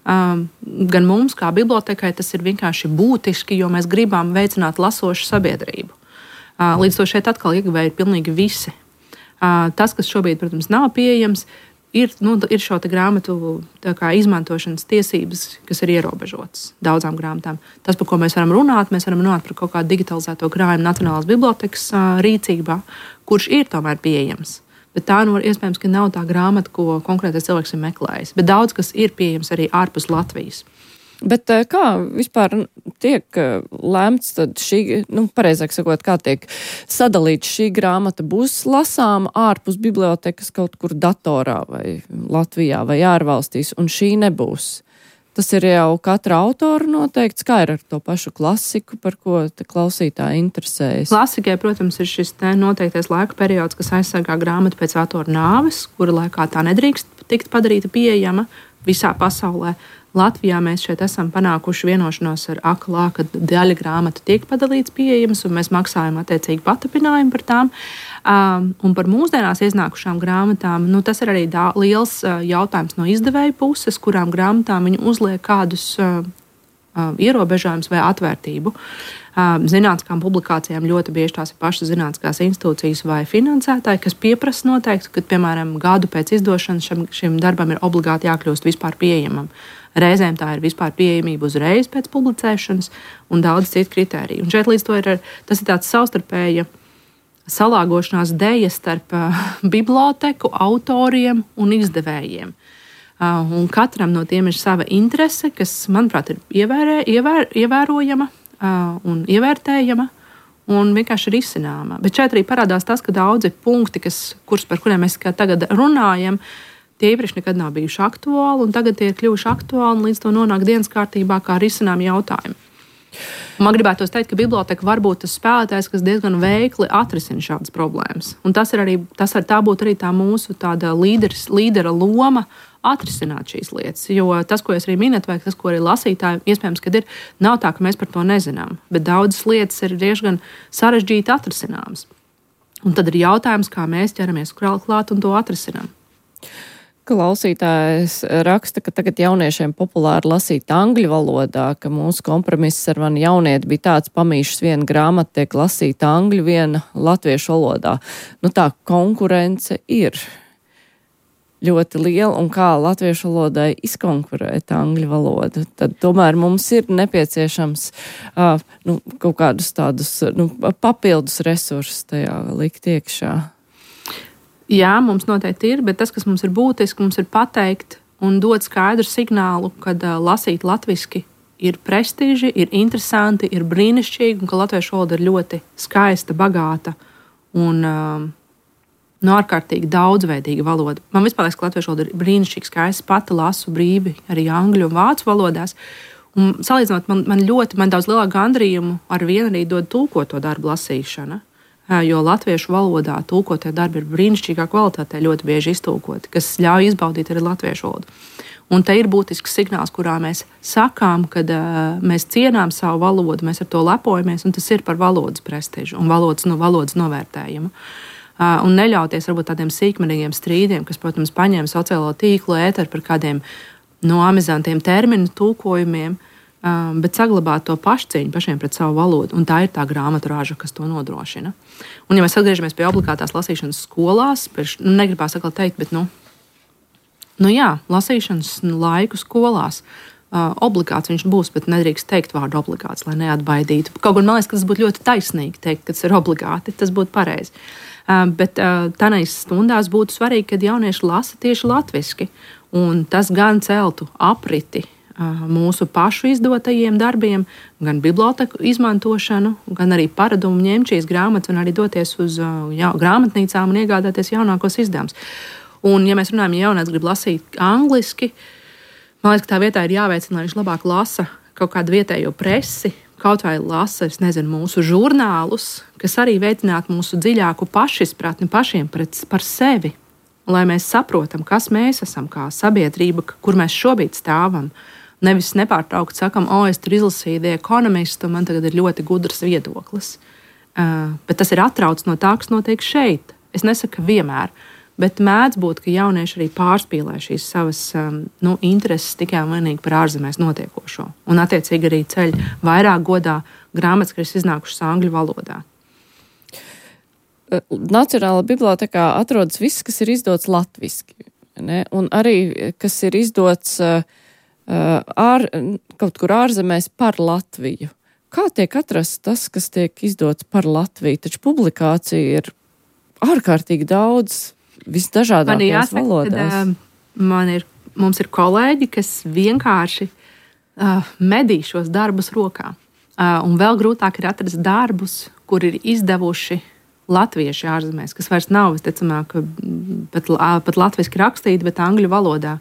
um, gan mums, kā bibliotekai. Tas ir vienkārši būtiski, jo mēs gribam veicināt lasošu sabiedrību. Uh, līdz to šeit atkal ieguvēji ir pilnīgi visi. Uh, tas, kas šobrīd, protams, nav pieejams, ir, nu, ir šo grāmatu kā, izmantošanas tiesības, kas ir ierobežotas daudzām grāmatām. Tas, par ko mēs varam runāt, mēs varam runāt par kaut kādu digitalizēto krājumu Nacionālās bibliotekas uh, rīcībā, kurš ir tomēr pieejams. Bet tā nu, iespējams, ka nav tā grāmata, ko konkrētais cilvēks ir meklējis. Bet daudz kas ir pieejams arī ārpus Latvijas. Bet kā vispār tiek lēmts tad šī, nu, pareizāk sakot, kā tiek sadalīts šī grāmata? Būs lasāma ārpus bibliotekas kaut kur datorā vai Latvijā vai ārvalstīs, un šī nebūs? Tas ir jau katra autora noteikts, kā ir ar to pašu klasiku, par ko klausītāji interesējas. Klasikai, protams, ir šis noteiktais laika periods, kas aizsargā grāmatu pēc autora nāves, kura laikā tā nedrīkst tikt padarīta pieejama visā pasaulē. Latvijā mēs šeit esam panākuši vienošanos ar A K L A, ka daļa grāmatu tiek padalīts pieejams, un mēs maksājam attiecīgi patapinājumu par tām. Um, un par mūsdienās iznākušām grāmatām, nu, tas ir arī dā, liels uh, jautājums no izdevēja puses, kurām grāmatām viņi uzliek kādus uh, uh, ierobežojumus vai atvērtību. Uh, zinātniskām publikācijām ļoti bieži tās ir pašas zinātniskās institūcijas vai finansētāji, kas pieprasa noteikti, ka, piemēram, gadu pēc izdošanas šim, šim darbam ir obligāti jākļūst vispār pieejamam. Reizēm tā ir vispār pieejamība uzreiz pēc publicēšanas un daudz citu kritēriju. Un šeit līdz to ir, tas ir tāds savstarpēja salāgošanās deja starp uh, biblioteku, autoriem un izdevējiem. Uh, un katram no tiem ir sava interese, kas, manuprāt, ir ievērē, ievēr, ievērojama uh, un ievērtējama un vienkārši risināma. Bet šeit arī parādās tas, ka daudzi punkti, kas, kurus, par kuriem mēs tagad runājam, tie iepriekš nekad nav bijuši aktuāli, un tagad tie ir kļuvuši aktuāli, un līdz to nonāk dienas kārtībā kā risinām jautājumi. Man gribētos teikt, ka biblioteka var būt tas spēlētājs, kas diezgan veikli atrisina šādas problēmas. Un tas ir arī, tas var tā būt arī tā mūsu tāda līderis, līdera loma atrisināt šīs lietas. Jo tas, ko es arī minēju, vai tas, ko arī lasītāji, iespējams, kad ir, nav tā, ka mēs par to nezinām, bet daudzas lietas ir diezgan sarežģīti atrisināmas. Un tad ir jautājums, kā mēs ķeramies klāt un to atrisinām. Klausītājs raksta, ka tagad jauniešiem populāri lasīt angļu valodā, ka mūsu kompromiss ar mani jaunieti bija tāds, pamīšas viena grāmata tiek lasīta angļu, viena latviešu valodā. Nu tā konkurence ir ļoti liela, un kā latviešu valodai izkonkurēt angļu valodu, tad tomēr mums ir nepieciešams uh, nu, kaut kādus tādus nu, papildus resursus tajā likt iekšā. Jā, mums noteikti ir, bet tas, kas mums ir būtiski, mums ir pateikt un dot skaidru signālu, ka uh, lasīt latviski ir prestiži, ir interesanti, ir brīnišķīgi, un ka latviešu valoda ir ļoti skaista, bagāta un uh, no ārkārtīgi daudzveidīga valoda. Man vispār liekas, ka latviešu valoda ir brīnišķīgi skaista, pati lasu brīvi arī angļu un vācu valodās. Un salīdzinot, man, man ļoti, man daudz lielāku gandarījumu ar vienu arī dod tulkoto darbu lasīšana. Jo latviešu valodā tulkotie darbi ir brīnišķīgā kvalitātē, ļoti bieži iztulkoti, kas ļauj izbaudīt arī latviešu valodu. Un te ir būtisks signāls, kurā mēs sakām, ka uh, mēs cienām savu valodu, mēs ar to lepojamies, un tas ir par valodas prestižu un valodas, no, valodas novērtējumu. Uh, un neļauties varbūt tādiem sīkmenīgiem strīdiem, kas, protams, paņem sociālo tīklu ēteru par kādiem no amizantiem terminu tulkojumiem, Um, bet saglabāt to pašcieņu pašiem pret savu valodu. Un tā ir tā grāmaturāža, kas to nodrošina. Un, ja mēs atgriežamies pie obligātās lasīšanas skolās, pēc, nu, negribās atkal teikt, bet, nu, nu jā, lasīšanas laiku skolās uh, obligāts viņš būs, bet nedrīkst teikt vārdu obligāts, lai neatbaidītu. Kaut gan man liekas, ka tas būtu ļoti taisnīgi teikt, ka tas ir obligāti, tas būtu pareizi. Uh, bet uh, tādās stundās būtu svarīgi, kad jaunieši lasa tieši latviski, un tas gan celtu apriti mūsu pašu izdotajiem darbiem, gan biblioteku izmantošanu, gan arī paradumu ņemt šīs grāmatas un arī doties uz jā, grāmatnīcām un iegādāties jaunākos izdevumus. Un, ja mēs runājam, ja jaunieks grib lasīt angliski, man liekas, ka tā vietā ir jāveicina, lai viņš labāk lasa kaut kādu vietējo presi, kaut vai lasa, es nezinu, mūsu žurnālus, kas arī veicinātu mūsu dziļāku pašizpratni pašiem pret, par sevi, lai mēs saprotam, kas mēs esam kā sabiedrība, kur mēs šobrīd stāvam. Nevis nepārtraukt sakam, o, es tur izlasīju The Economist, un man tagad ir ļoti gudrs viedoklis. Uh, bet tas ir atrauc no tā, kas notiek šeit. Es nesaku, ka vienmēr, bet mēdz būt, ka jaunieši arī pārspīlē šīs savas um, nu, intereses tikai un vienīgi par ārzemēs notiekošo. Un attiecīgi arī ceļ vairāk godā grāmatas, kas iznākušas angļu valodā. Nacionālajā bibliotekā atrodas viss, kas ir izdots latviski. ne? Un arī, kas ir izdots uh, ār, kaut kur ārzemēs par Latviju. Kā tiek atrasts tas, kas tiek izdots par Latviju? Taču publikācija ir ārkārtīgi daudz visdažādākajās valodās. Kad, uh, man ir, mums ir kolēģi, kas vienkārši uh, medī šos darbus rokā. Uh, un vēl grūtāk ir atrast darbus, kur ir izdevuši latvieši ārzemēs, kas vairs nav, visticamāk, pat, pat latviski rakstīti, bet angļu valodā,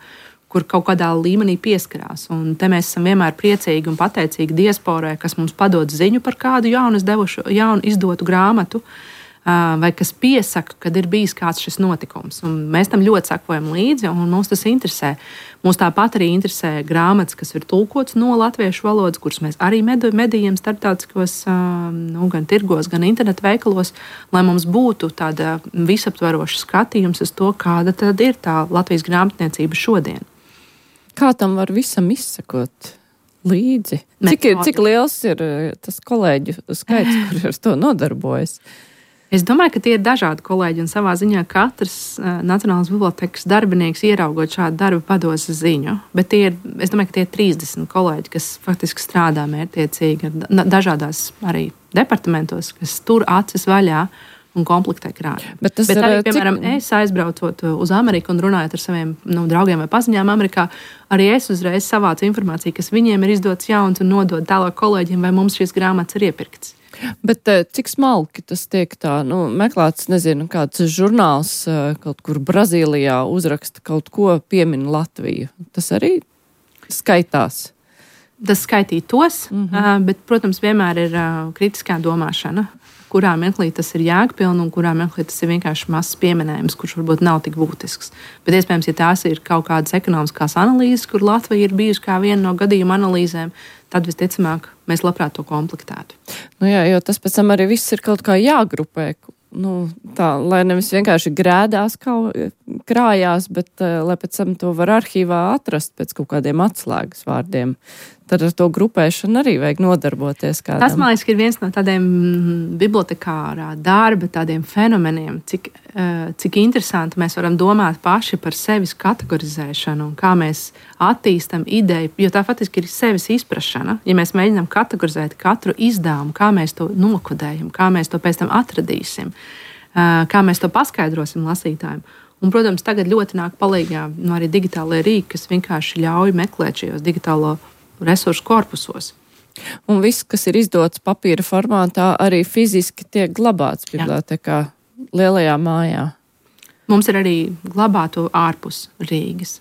kur kaut kādā līmenī pieskarās. Un te mēs esam vienmēr priecīgi un pateicīgi diasporai, kas mums padod ziņu par kādu jaunu, izdevušu, jaunu izdotu grāmatu, vai kas piesaka, kad ir bijis kāds šis notikums. Un mēs tam ļoti sekojam līdzi, un mums tas interesē. Mums tāpat arī interesē grāmatas, kas ir tulkots no latviešu valodas, kuras mēs arī medījam starptautiskos, nu, gan tirgos, gan internetu veikalos, lai mums būtu tāda visaptveroša skatījums uz to, kāda tad ir tā Latvijas grāmatniecība šodien. Kā tam var visam izsekot līdzi? Cik, ir, cik liels ir tas kolēģu skaits, kur ar to nodarbojas? Es domāju, ka tie ir dažādi kolēģi, un savā ziņā katrs uh, Nacionālās bibliotēkas darbinieks, ieraugot šādu darbu, pados ziņu. Bet tie ir, es domāju, ka tie ir trīsdesmit kolēģi, kas faktiski strādā mērķtiecīgi ar dažādās arī departamentos, kas tur acis vaļā un komplektē krājumu. Bet, Bet arī, ir, piemēram, cik... es aizbraucot uz Ameriku un runājot ar saviem nu, draugiem vai paziņām Amerikā, arī es uzreiz savācu informāciju, kas viņiem ir izdots jauns un nodod tālāk kolēģiem, vai mums šīs grāmatas ir iepirkts. Bet cik smalki tas tiek tā, nu, meklēts, nezinu, kāds žurnāls kaut kur Brazīlijā uzraksta kaut ko, piemin Latviju. Tas arī skaitās? Tas skaitītos, mm-hmm. bet, protams, vienmēr ir kritiskā domāšana, kurā mirklī tas ir jēgpilni un kurā mirklī tas ir vienkārši mazs pieminējums, kurš varbūt nav tik būtisks. Bet, iespējams, ja tās ir kaut kādas ekonomiskās analīzes, kur Latvija ir bijusi kā viena no gadījuma analīzēm, tad visticamāk mēs labprāt to komplektētu. Nu jā, jo tas pēc tam arī viss ir kaut kā jāgrupē, nu, tā, lai nevis vienkārši grēdās kaut, krājās, bet uh, lai pēc tam to var arhīvā atrast pēc kaut kādiem atslēgas vārdiem. Tad ar to grupēšanu arī vajag nodarboties kādam. Tas, man liekas, ir viens no tādiem bibliotekārā darba tādiem fenomeniem, cik, uh, cik interesanti mēs varam domāt paši par sevis kategorizēšanu un kā mēs attīstam ideju, jo tā faktiski ir sevis izprašana. Ja mēs mēģinām kategorizēt katru izdevumu, kā mēs to nokodējam, kā mēs to pēc tam atradīsim, uh, kā mēs to paskaidrosim lasītājiem. Un, protams, tagad ļoti nāk palīgā no arī digitālajie rīki, kas vienkārši ļauj meklēt šajos digitālo resursu korpusos. Un viss, kas ir izdots papīra formātā, arī fiziski tiek glabāts bibliotēkā lielajā mājā. Mums ir arī glabāto ārpus Rīgas.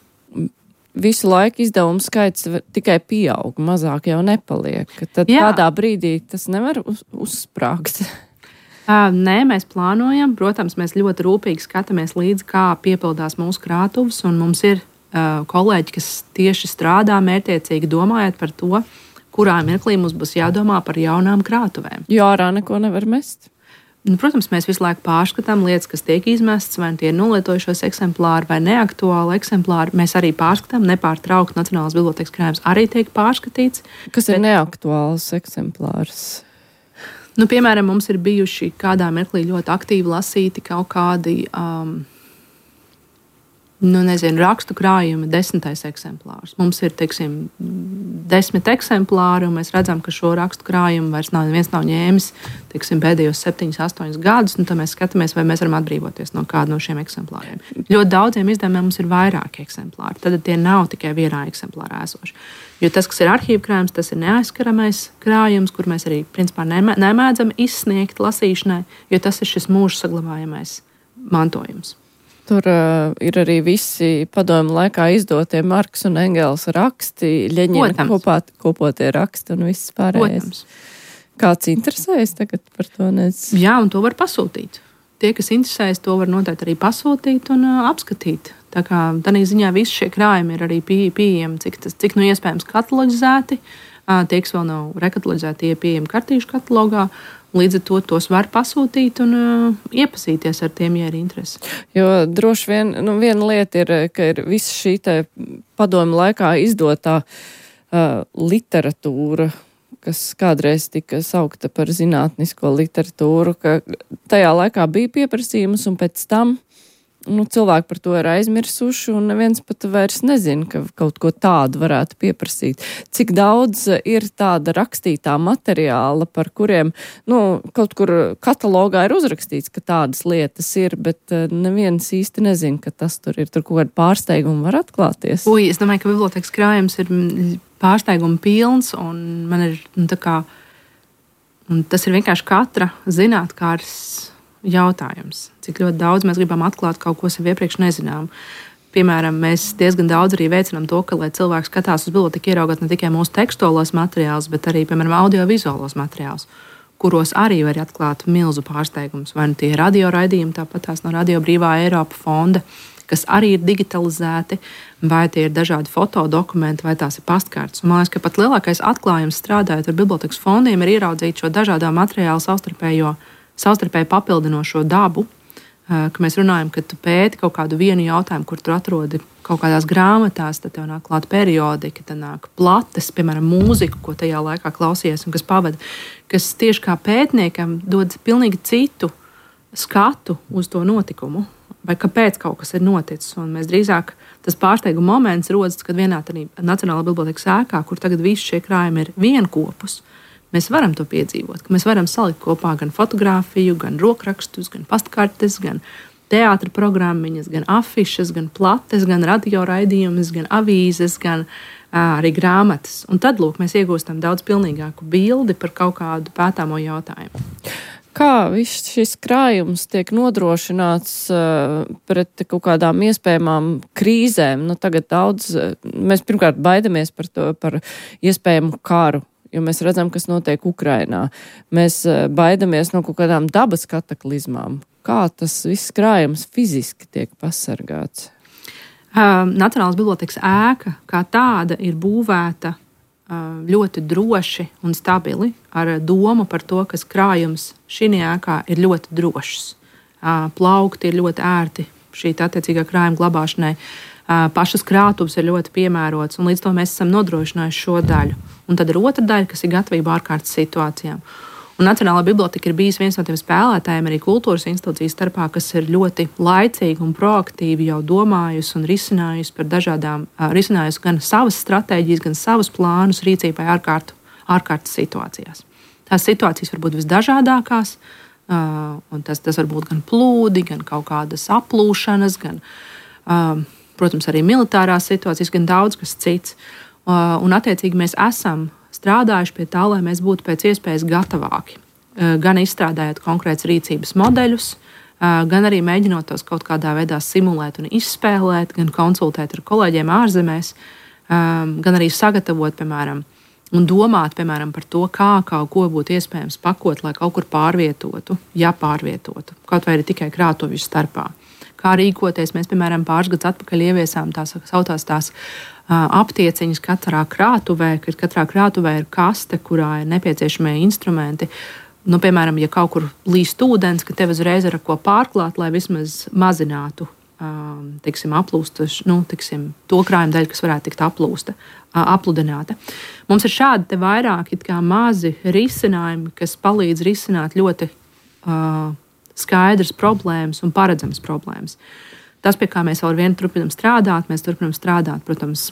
Visu laiku izdevumu skaits tikai pieaug, mazāk jau nepaliek. Tad Jā. Kādā brīdī tas nevar uz, uzsprāgt. Nē, mēs plānojam. Protams, mēs ļoti rūpīgi skatāmies līdzi, kā piepildās mūsu krātuves, un mums ir kolēģi, kas tieši strādā mērķtiecīgi domājot par to, kurā mirklī mums būs jādomā par jaunām krātuvēm. Jo ārā neko nevar mest. Nu, protams, mēs visu laiku pārskatām lietas, kas tiek izmestas, vai tie ir nolietojušos eksemplāri vai neaktuāli eksemplāri. Mēs arī pārskatām, nepārtraukti Nacionālās bibliotēkas krājums arī tiek pārskatīts. Kas bet... ir neaktuāls eksemplārs? Nu, piemēram, mums ir bijuši kādā mirklī ļoti aktīvi lasīti kaut kādi... Um, Nu, nezinu, rakstu krājumi, desmitais eksemplārs. Mums ir, teiksim, desmit eksemplāri, un mēs redzam, ka šo rakstu krājumu vairs nav, neviens nav ņēmis, teiksim, pēdējos septiņus, astoņus gadus, un tad mēs skatāmies, vai mēs varam atbrīvoties no kāda no šiem eksemplāriem. Ļoti daudziem izdevumiem mums ir vairāki eksemplāri, tad tie nav tikai vienā eksemplārā esoši. Jo tas, kas ir arhīva krājums, tas ir neaizskaramais krājums, kur mēs arī, principā, nemēdzam izsniegt lasīšanai, jo tas ir šis mūža saglabājamais mantojums. Tur uh, ir arī visi padomu laikā izdotie Marks un Engels raksti, Ļeņina kopā, kopotie raksti un viss pārējais. Protams. Kāds interesējas tagad par to? Nes? Jā, un to var pasūtīt. Tie, kas interesējas, to var noteikti arī pasūtīt un uh, apskatīt. Tā kā tādā ziņā visi šie krājumi ir arī pie, pieejami, cik, tas, cik nu iespējams katalogizēti. Uh, tie, kas vēl nav rekataloģizēti, tie ir pieejami kartīšu katalogā. Līdz ar to tos var pasūtīt un uh, iepazīties ar tiem, ja ir interesi. Jo droši vien, nu, viena lieta ir, ka ir visa šī te padomu laikā izdotā uh, literatūra, kas kādreiz tika saukta par zinātnisko literatūru, ka tajā laikā bija pieprasījums un pēc tam nu, cilvēki par to ir aizmirsuši un neviens pat vairs nezina, ka kaut ko tādu varētu pieprasīt. Cik daudz ir tāda rakstītā materiāla, par kuriem, nu, kaut kur katalogā ir uzrakstīts, ka tādas lietas ir, bet neviens īsti nezina, ka tas tur ir, tur kaut kāda pārsteiguma var atklāties. Ui, es domāju, ka bibliotekas krājums ir pārsteiguma pilns un man ir, nu, tā kā, un tas ir vienkārši katra zinātkārs jautājums, cik ļoti daudz mēs gribam atklāt kaut ko sev iepriekš nezinām. Piemēram, mēs diezgan daudz arī veicinām to, ka, lai cilvēks skatās uz biblioteku, ieraugot ne tikai mūsu tekstuālos materiālus, bet arī, piemēram, audiovizuālos materiālus, kuros arī var atklāt milzu pārsteigumus. Vai nu tie ir radio raidījumi, tāpat tās no Radio Brīvā Eiropa fonda, kas arī ir digitalizēti, vai tie ir dažādi fotodokumenti, vai tās ir pastkartes. Un man liekas, ka pat lielākais atklājums strādājot ar bibliotekas fondiem ir ieraudzīt šo dažādo materiālu savstarpējo savstarpēji papildinošo dabu, ka mēs runājam, ka tu pēti kaut kādu vienu jautājumu, kur tu atrodi kaut kādās grāmatās, tad tev nāk klāt periodika, tad nāk plates, piemēram, mūziku, ko tajā laikā klausies un kas pavada, kas tieši kā pētniekam dod pilnīgi citu skatu uz to notikumu, vai kāpēc kaut kas ir noticis. Un mēs drīzāk tas pārsteiguma moments rodas, kad vienā tādā Nacionālā bibliotekas ēkā, kur tagad visi šie krājumi ir vienkopus, mēs varam to piedzīvot, ka mēs varam salikt kopā gan fotografiju, gan rokrakstus, gan pastkartes, gan teātra programmiņas, gan afišas, gan plates, gan radio raidījumus, gan avīzes, gan ā, arī grāmatas. Un tad, lūk, mēs iegūstam daudz pilnīgāku bildi par kaut kādu pētāmo jautājumu. Kā viss šis krājums tiek nodrošināts uh, pret kaut kādām iespējamām krīzēm? Nu, tagad daudz, mēs pirmkārt baidamies par to, par iespējamu karu, jo mēs redzam, kas notiek Ukrainā. Mēs baidamies no kaut kādām dabas kataklizmām. Kā tas viss krājums fiziski tiek pasargāts? Uh, Nacionālās bibliotekas ēka kā tāda ir būvēta uh, ļoti droši un stabili ar domu par to, ka krājums šī ēkā ir ļoti drošs. Uh, plaukti ir ļoti ērti šī attiecīgā krājuma glabāšanai. Uh, pašas krātuves ir ļoti piemērotas, un līdz to mēs esam nodrošinājuši šo daļu. Un tad ir otra daļa, kas ir gatavība ārkārtas situācijām. Un Nacionālā biblioteka ir bijis viens no tiem spēlētājiem arī kultūras institūciju starpā, kas ir ļoti laicīgi un proaktīvi jau domājusi un risinājusi par dažādām, uh, risinājusi gan savas stratēģijas, gan savus plānus rīcībai ārkārtu, ārkārtas situācijās. Tās situācijas var būt visdažādākās, uh, un tas, tas var būt gan plūdi, gan kaut kādas aplūšanas, gan, uh, protams, arī militārās situācijas, gan daudz kas cits. Uh, un attiecīgi mēs esam strādājuši pie tā, lai mēs būtu pēc iespējas gatavāki. Uh, gan izstrādājot konkrētus rīcības modeļus, uh, gan arī mēģinot tos kaut kādā veidā simulēt un izspēlēt, gan konsultēt ar kolēģiem ārzemēs, um, gan arī sagatavot, piemēram, un domāt, piemēram, par to, kā kaut ko būtu iespējams pakot, lai kaut kur pārvietotu, ja pārvietotu, kaut vai arī tikai krātuvju starpā. Kā rīkoties, mēs, piemēram, pāris gadus atpakaļ ieviesām tās sauktās tās aptieciņas katrā krātuvē, kad katrā krātuvē ir kaste, kurā ir nepieciešamie instrumenti. Nu, piemēram, ja kaut kur līst ūdens, ka tev uzreiz ir ar ko pārklāt, lai vismaz mazinātu teiksim, aplūsta, nu, teiksim, to krājuma daļu, kas varētu tikt aplūsta, apludināta. Mums ir šādi te vairāki kā mazi risinājumi, kas palīdz risināt ļoti uh, skaidras problēmas un paredzamas problēmas. Tas, pie kā mēs vēl ar vienu turpinām strādāt, mēs turpinām strādāt, protams,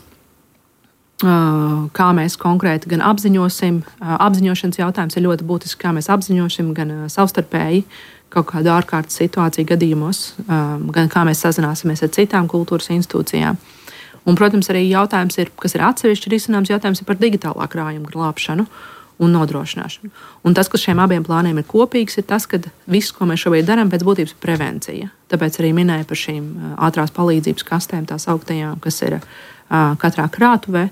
kā mēs konkrēti gan apziņosim. Apziņošanas jautājums ir ļoti būtisks, kā mēs apziņosim gan savstarpēji kaut kādu ārkārtas situāciju gadījumos, gan kā mēs sazināsimies ar citām kultūras institūcijām. Un, protams, arī jautājums ir, kas ir atsevišķi risināms, jautājums ir par digitālā krājuma glābšanu un nodrošināšanu. Un tas, kas šiem abiem plāniem ir kopīgs, ir tas, ka viss, ko mēs šobrīd darām, pēc būtības ir prevencija. Tāpēc arī minēju par šīm ātrās palīdzības kastēm, tās augtajām, kas ir uh, katrā krātuvē.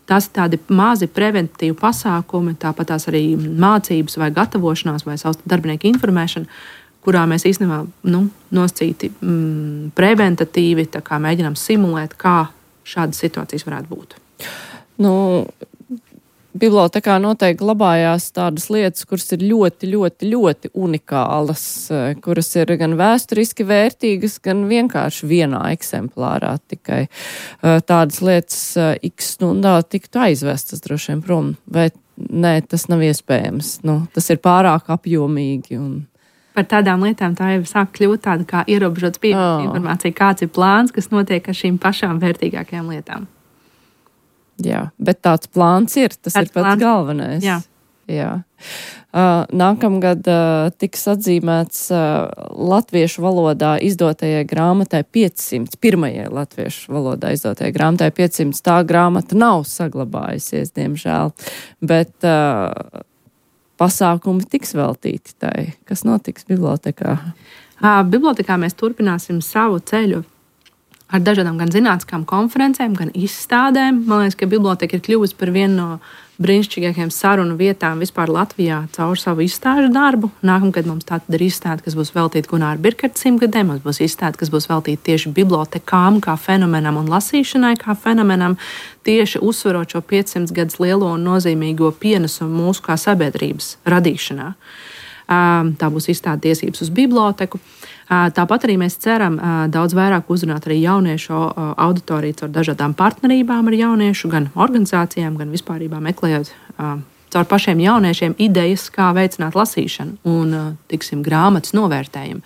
Tās ir tādi mazi preventīvi pasākumi, tāpat tās arī mācības vai gatavošanās vai savas darbinieku informēšana, kurā mēs īstenībā nu, nosacīti mm, preventatīvi mēģinām simulēt, kā šādas situācijas varētu būt. Nu, bibliotekā noteikti glabājās tādas lietas, kuras ir ļoti, ļoti, ļoti unikālas, kuras ir gan vēsturiski vērtīgas, gan vienkārši vienā eksemplārā tikai. Tādas lietas x stundā tiktu aizvestas droši vien prom, vai nē, tas nav iespējams. Nu, tas ir pārāk apjomīgi un... par tādām lietām tā jau sāk kļūt tāda kā ierobežots pieejas oh. informācija, kāds ir plāns, kas notiek ar šīm pašām vērtīgākajām lietām. Jā, bet tāds plāns ir, tas tāds ir pats plāns. Galvenais. Jā. Jā. Uh, nākamgad uh, tiks atzīmēts uh, latviešu valodā izdotajai grāmatai piecsimt, pirmajai latviešu valodā izdotajai grāmatai piecsimt. Tā grāmata nav saglabājusies, diemžēl, bet uh, pasākumi tiks veltīti tai. Kas notiks bibliotekā? Uh, bibliotekā mēs turpināsim savu ceļu ar dažādām gan zinātniskām konferencēm, gan izstādēm. Man liekas, ka biblioteka ir kļuvusi par vienu no brīnišķīgākajām sarunu vietām vispār Latvijā caur savu izstāžu darbu. Nākamgad mums tātad ir izstāde, kas būs veltīta Gunāra Birkerta simtgadēm, mums būs izstāde, kas būs veltīta tieši bibliotekām kā fenomenam un lasīšanai kā fenomenam, tieši uzsverot šo piecsimt gadus lielo un nozīmīgo pienesumu mūsu kā sabiedrības radīšanā. Tā būs izstāde tiesības uz biblioteku. Tāpat arī mēs ceram daudz vairāk uzrunāt arī jauniešu auditoriju caur dažādām partnerībām ar jauniešu, gan organizācijām, gan vispārībā meklējot caur pašiem jauniešiem idejas, kā veicināt lasīšanu un, tiksim, grāmatas novērtējumu.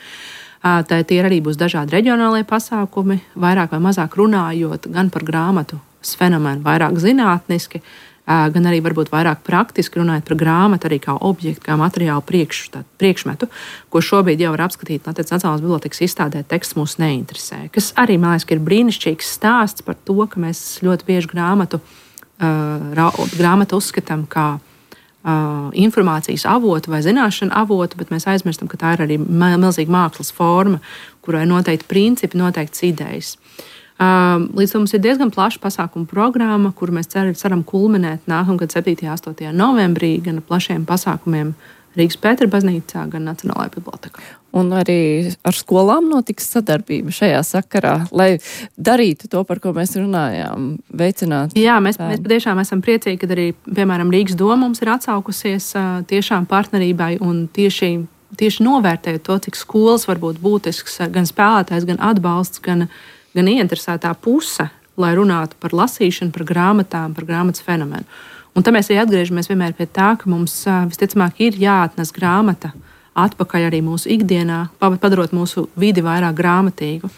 Tā tie arī būs dažādi reģionālie pasākumi, vairāk vai mazāk runājot gan par grāmatu fenomenu, vairāk zinātniski, gan arī varbūt vairāk praktiski runājot par grāmatu arī kā objektu, kā materiālu priekš, tā, priekšmetu, ko šobrīd jau var apskatīt Latvijas Nacionālās bibliotekas izstādē. Teksts mūs neinteresē. Kas arī, man liekas, ir brīnišķīgs stāsts par to, ka mēs ļoti bieži grāmatu, uh, grāmatu uzskatām kā uh, informācijas avotu vai zināšanu avotu, bet mēs aizmirstam, ka tā ir arī milzīga mākslas forma, kurai noteikti principi, noteikts idejas. Līdz tam mums ir diezgan plaša pasākuma programma, kuru mēs cer, ceram kulminēt nākamgad septītajā un astotajā novembrī gan plašiem pasākumiem Rīgas Pētera baznīcā, gan Nacionālajā bibliotekā. Un arī ar skolām notiks sadarbība šajā sakarā, lai darītu to, par ko mēs runājām, veicināt. Jā, mēs, mēs patiešām esam priecīgi, kad arī, piemēram, Rīgas doma mums ir atsaukusies tiešām partnerībai un tieši, tieši novērtējot to, cik skolas var būt būtisks gan spēlētājs, gan atbalsts, gan gan ieinteresētā puse, lai runātu par lasīšanu, par grāmatām, par grāmatas fenomenu. Un tad mēs arī atgriežamies vienmēr pie tā, ka mums visticamāk ir jāatnes grāmata atpakaļ arī mūsu ikdienā, padarot mūsu vidi vairāk grāmatīgu.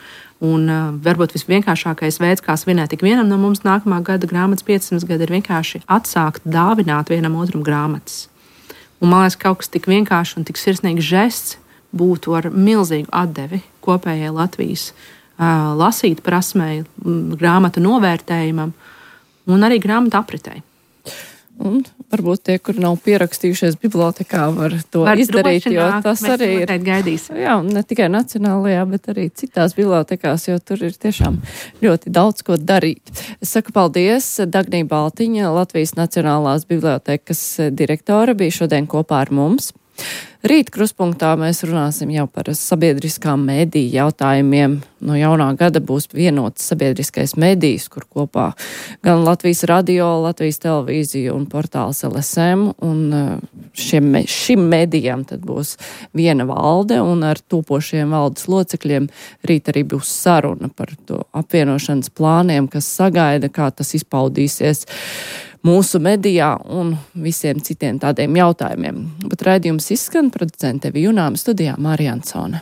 Un varbūt visvienkāršākais veids, kā svinēt ik vienam no mums nākamā gada grāmatas piecsimt gadi, ir vienkārši atsākt dāvināt vienam otram grāmatas. Un man liekas, kaut kas tik vienkārši un tik sirsnīgs žests būtu ar milzīgu atdevi kopējai Latvijas lasīt prasmei, grāmatu novērtējumam un arī grāmatu apritei. Un varbūt tie, kur nav pierakstījušies bibliotekā, var to var izdarīt, jo nāk, tas arī ir. Gaidīsim. Jā, un ne tikai Nacionālajā, bet arī citās bibliotekās, jo tur ir tiešām ļoti daudz ko darīt. Es saku paldies, Dagnija Baltiņa, Latvijas Nacionālās bibliotekas direktore, bija šodien kopā ar mums. Rīt kruspunktā mēs runāsim jau par sabiedriskām mediju jautājumiem. No jaunā gada būs vienots sabiedriskais medijs, kur kopā gan Latvijas radio, Latvijas televīzija un portāls L S M. Un šiem, šim medijam tad būs viena valde, un ar topošiem valdes locekļiem rīt arī būs saruna par to apvienošanas plāniem, kas sagaida, kā tas izpaudīsies mūsu medijā un visiem citiem tādiem jautājumiem. Bet raidījums izskan, producente Vijunām, studijā Mārija Ansone.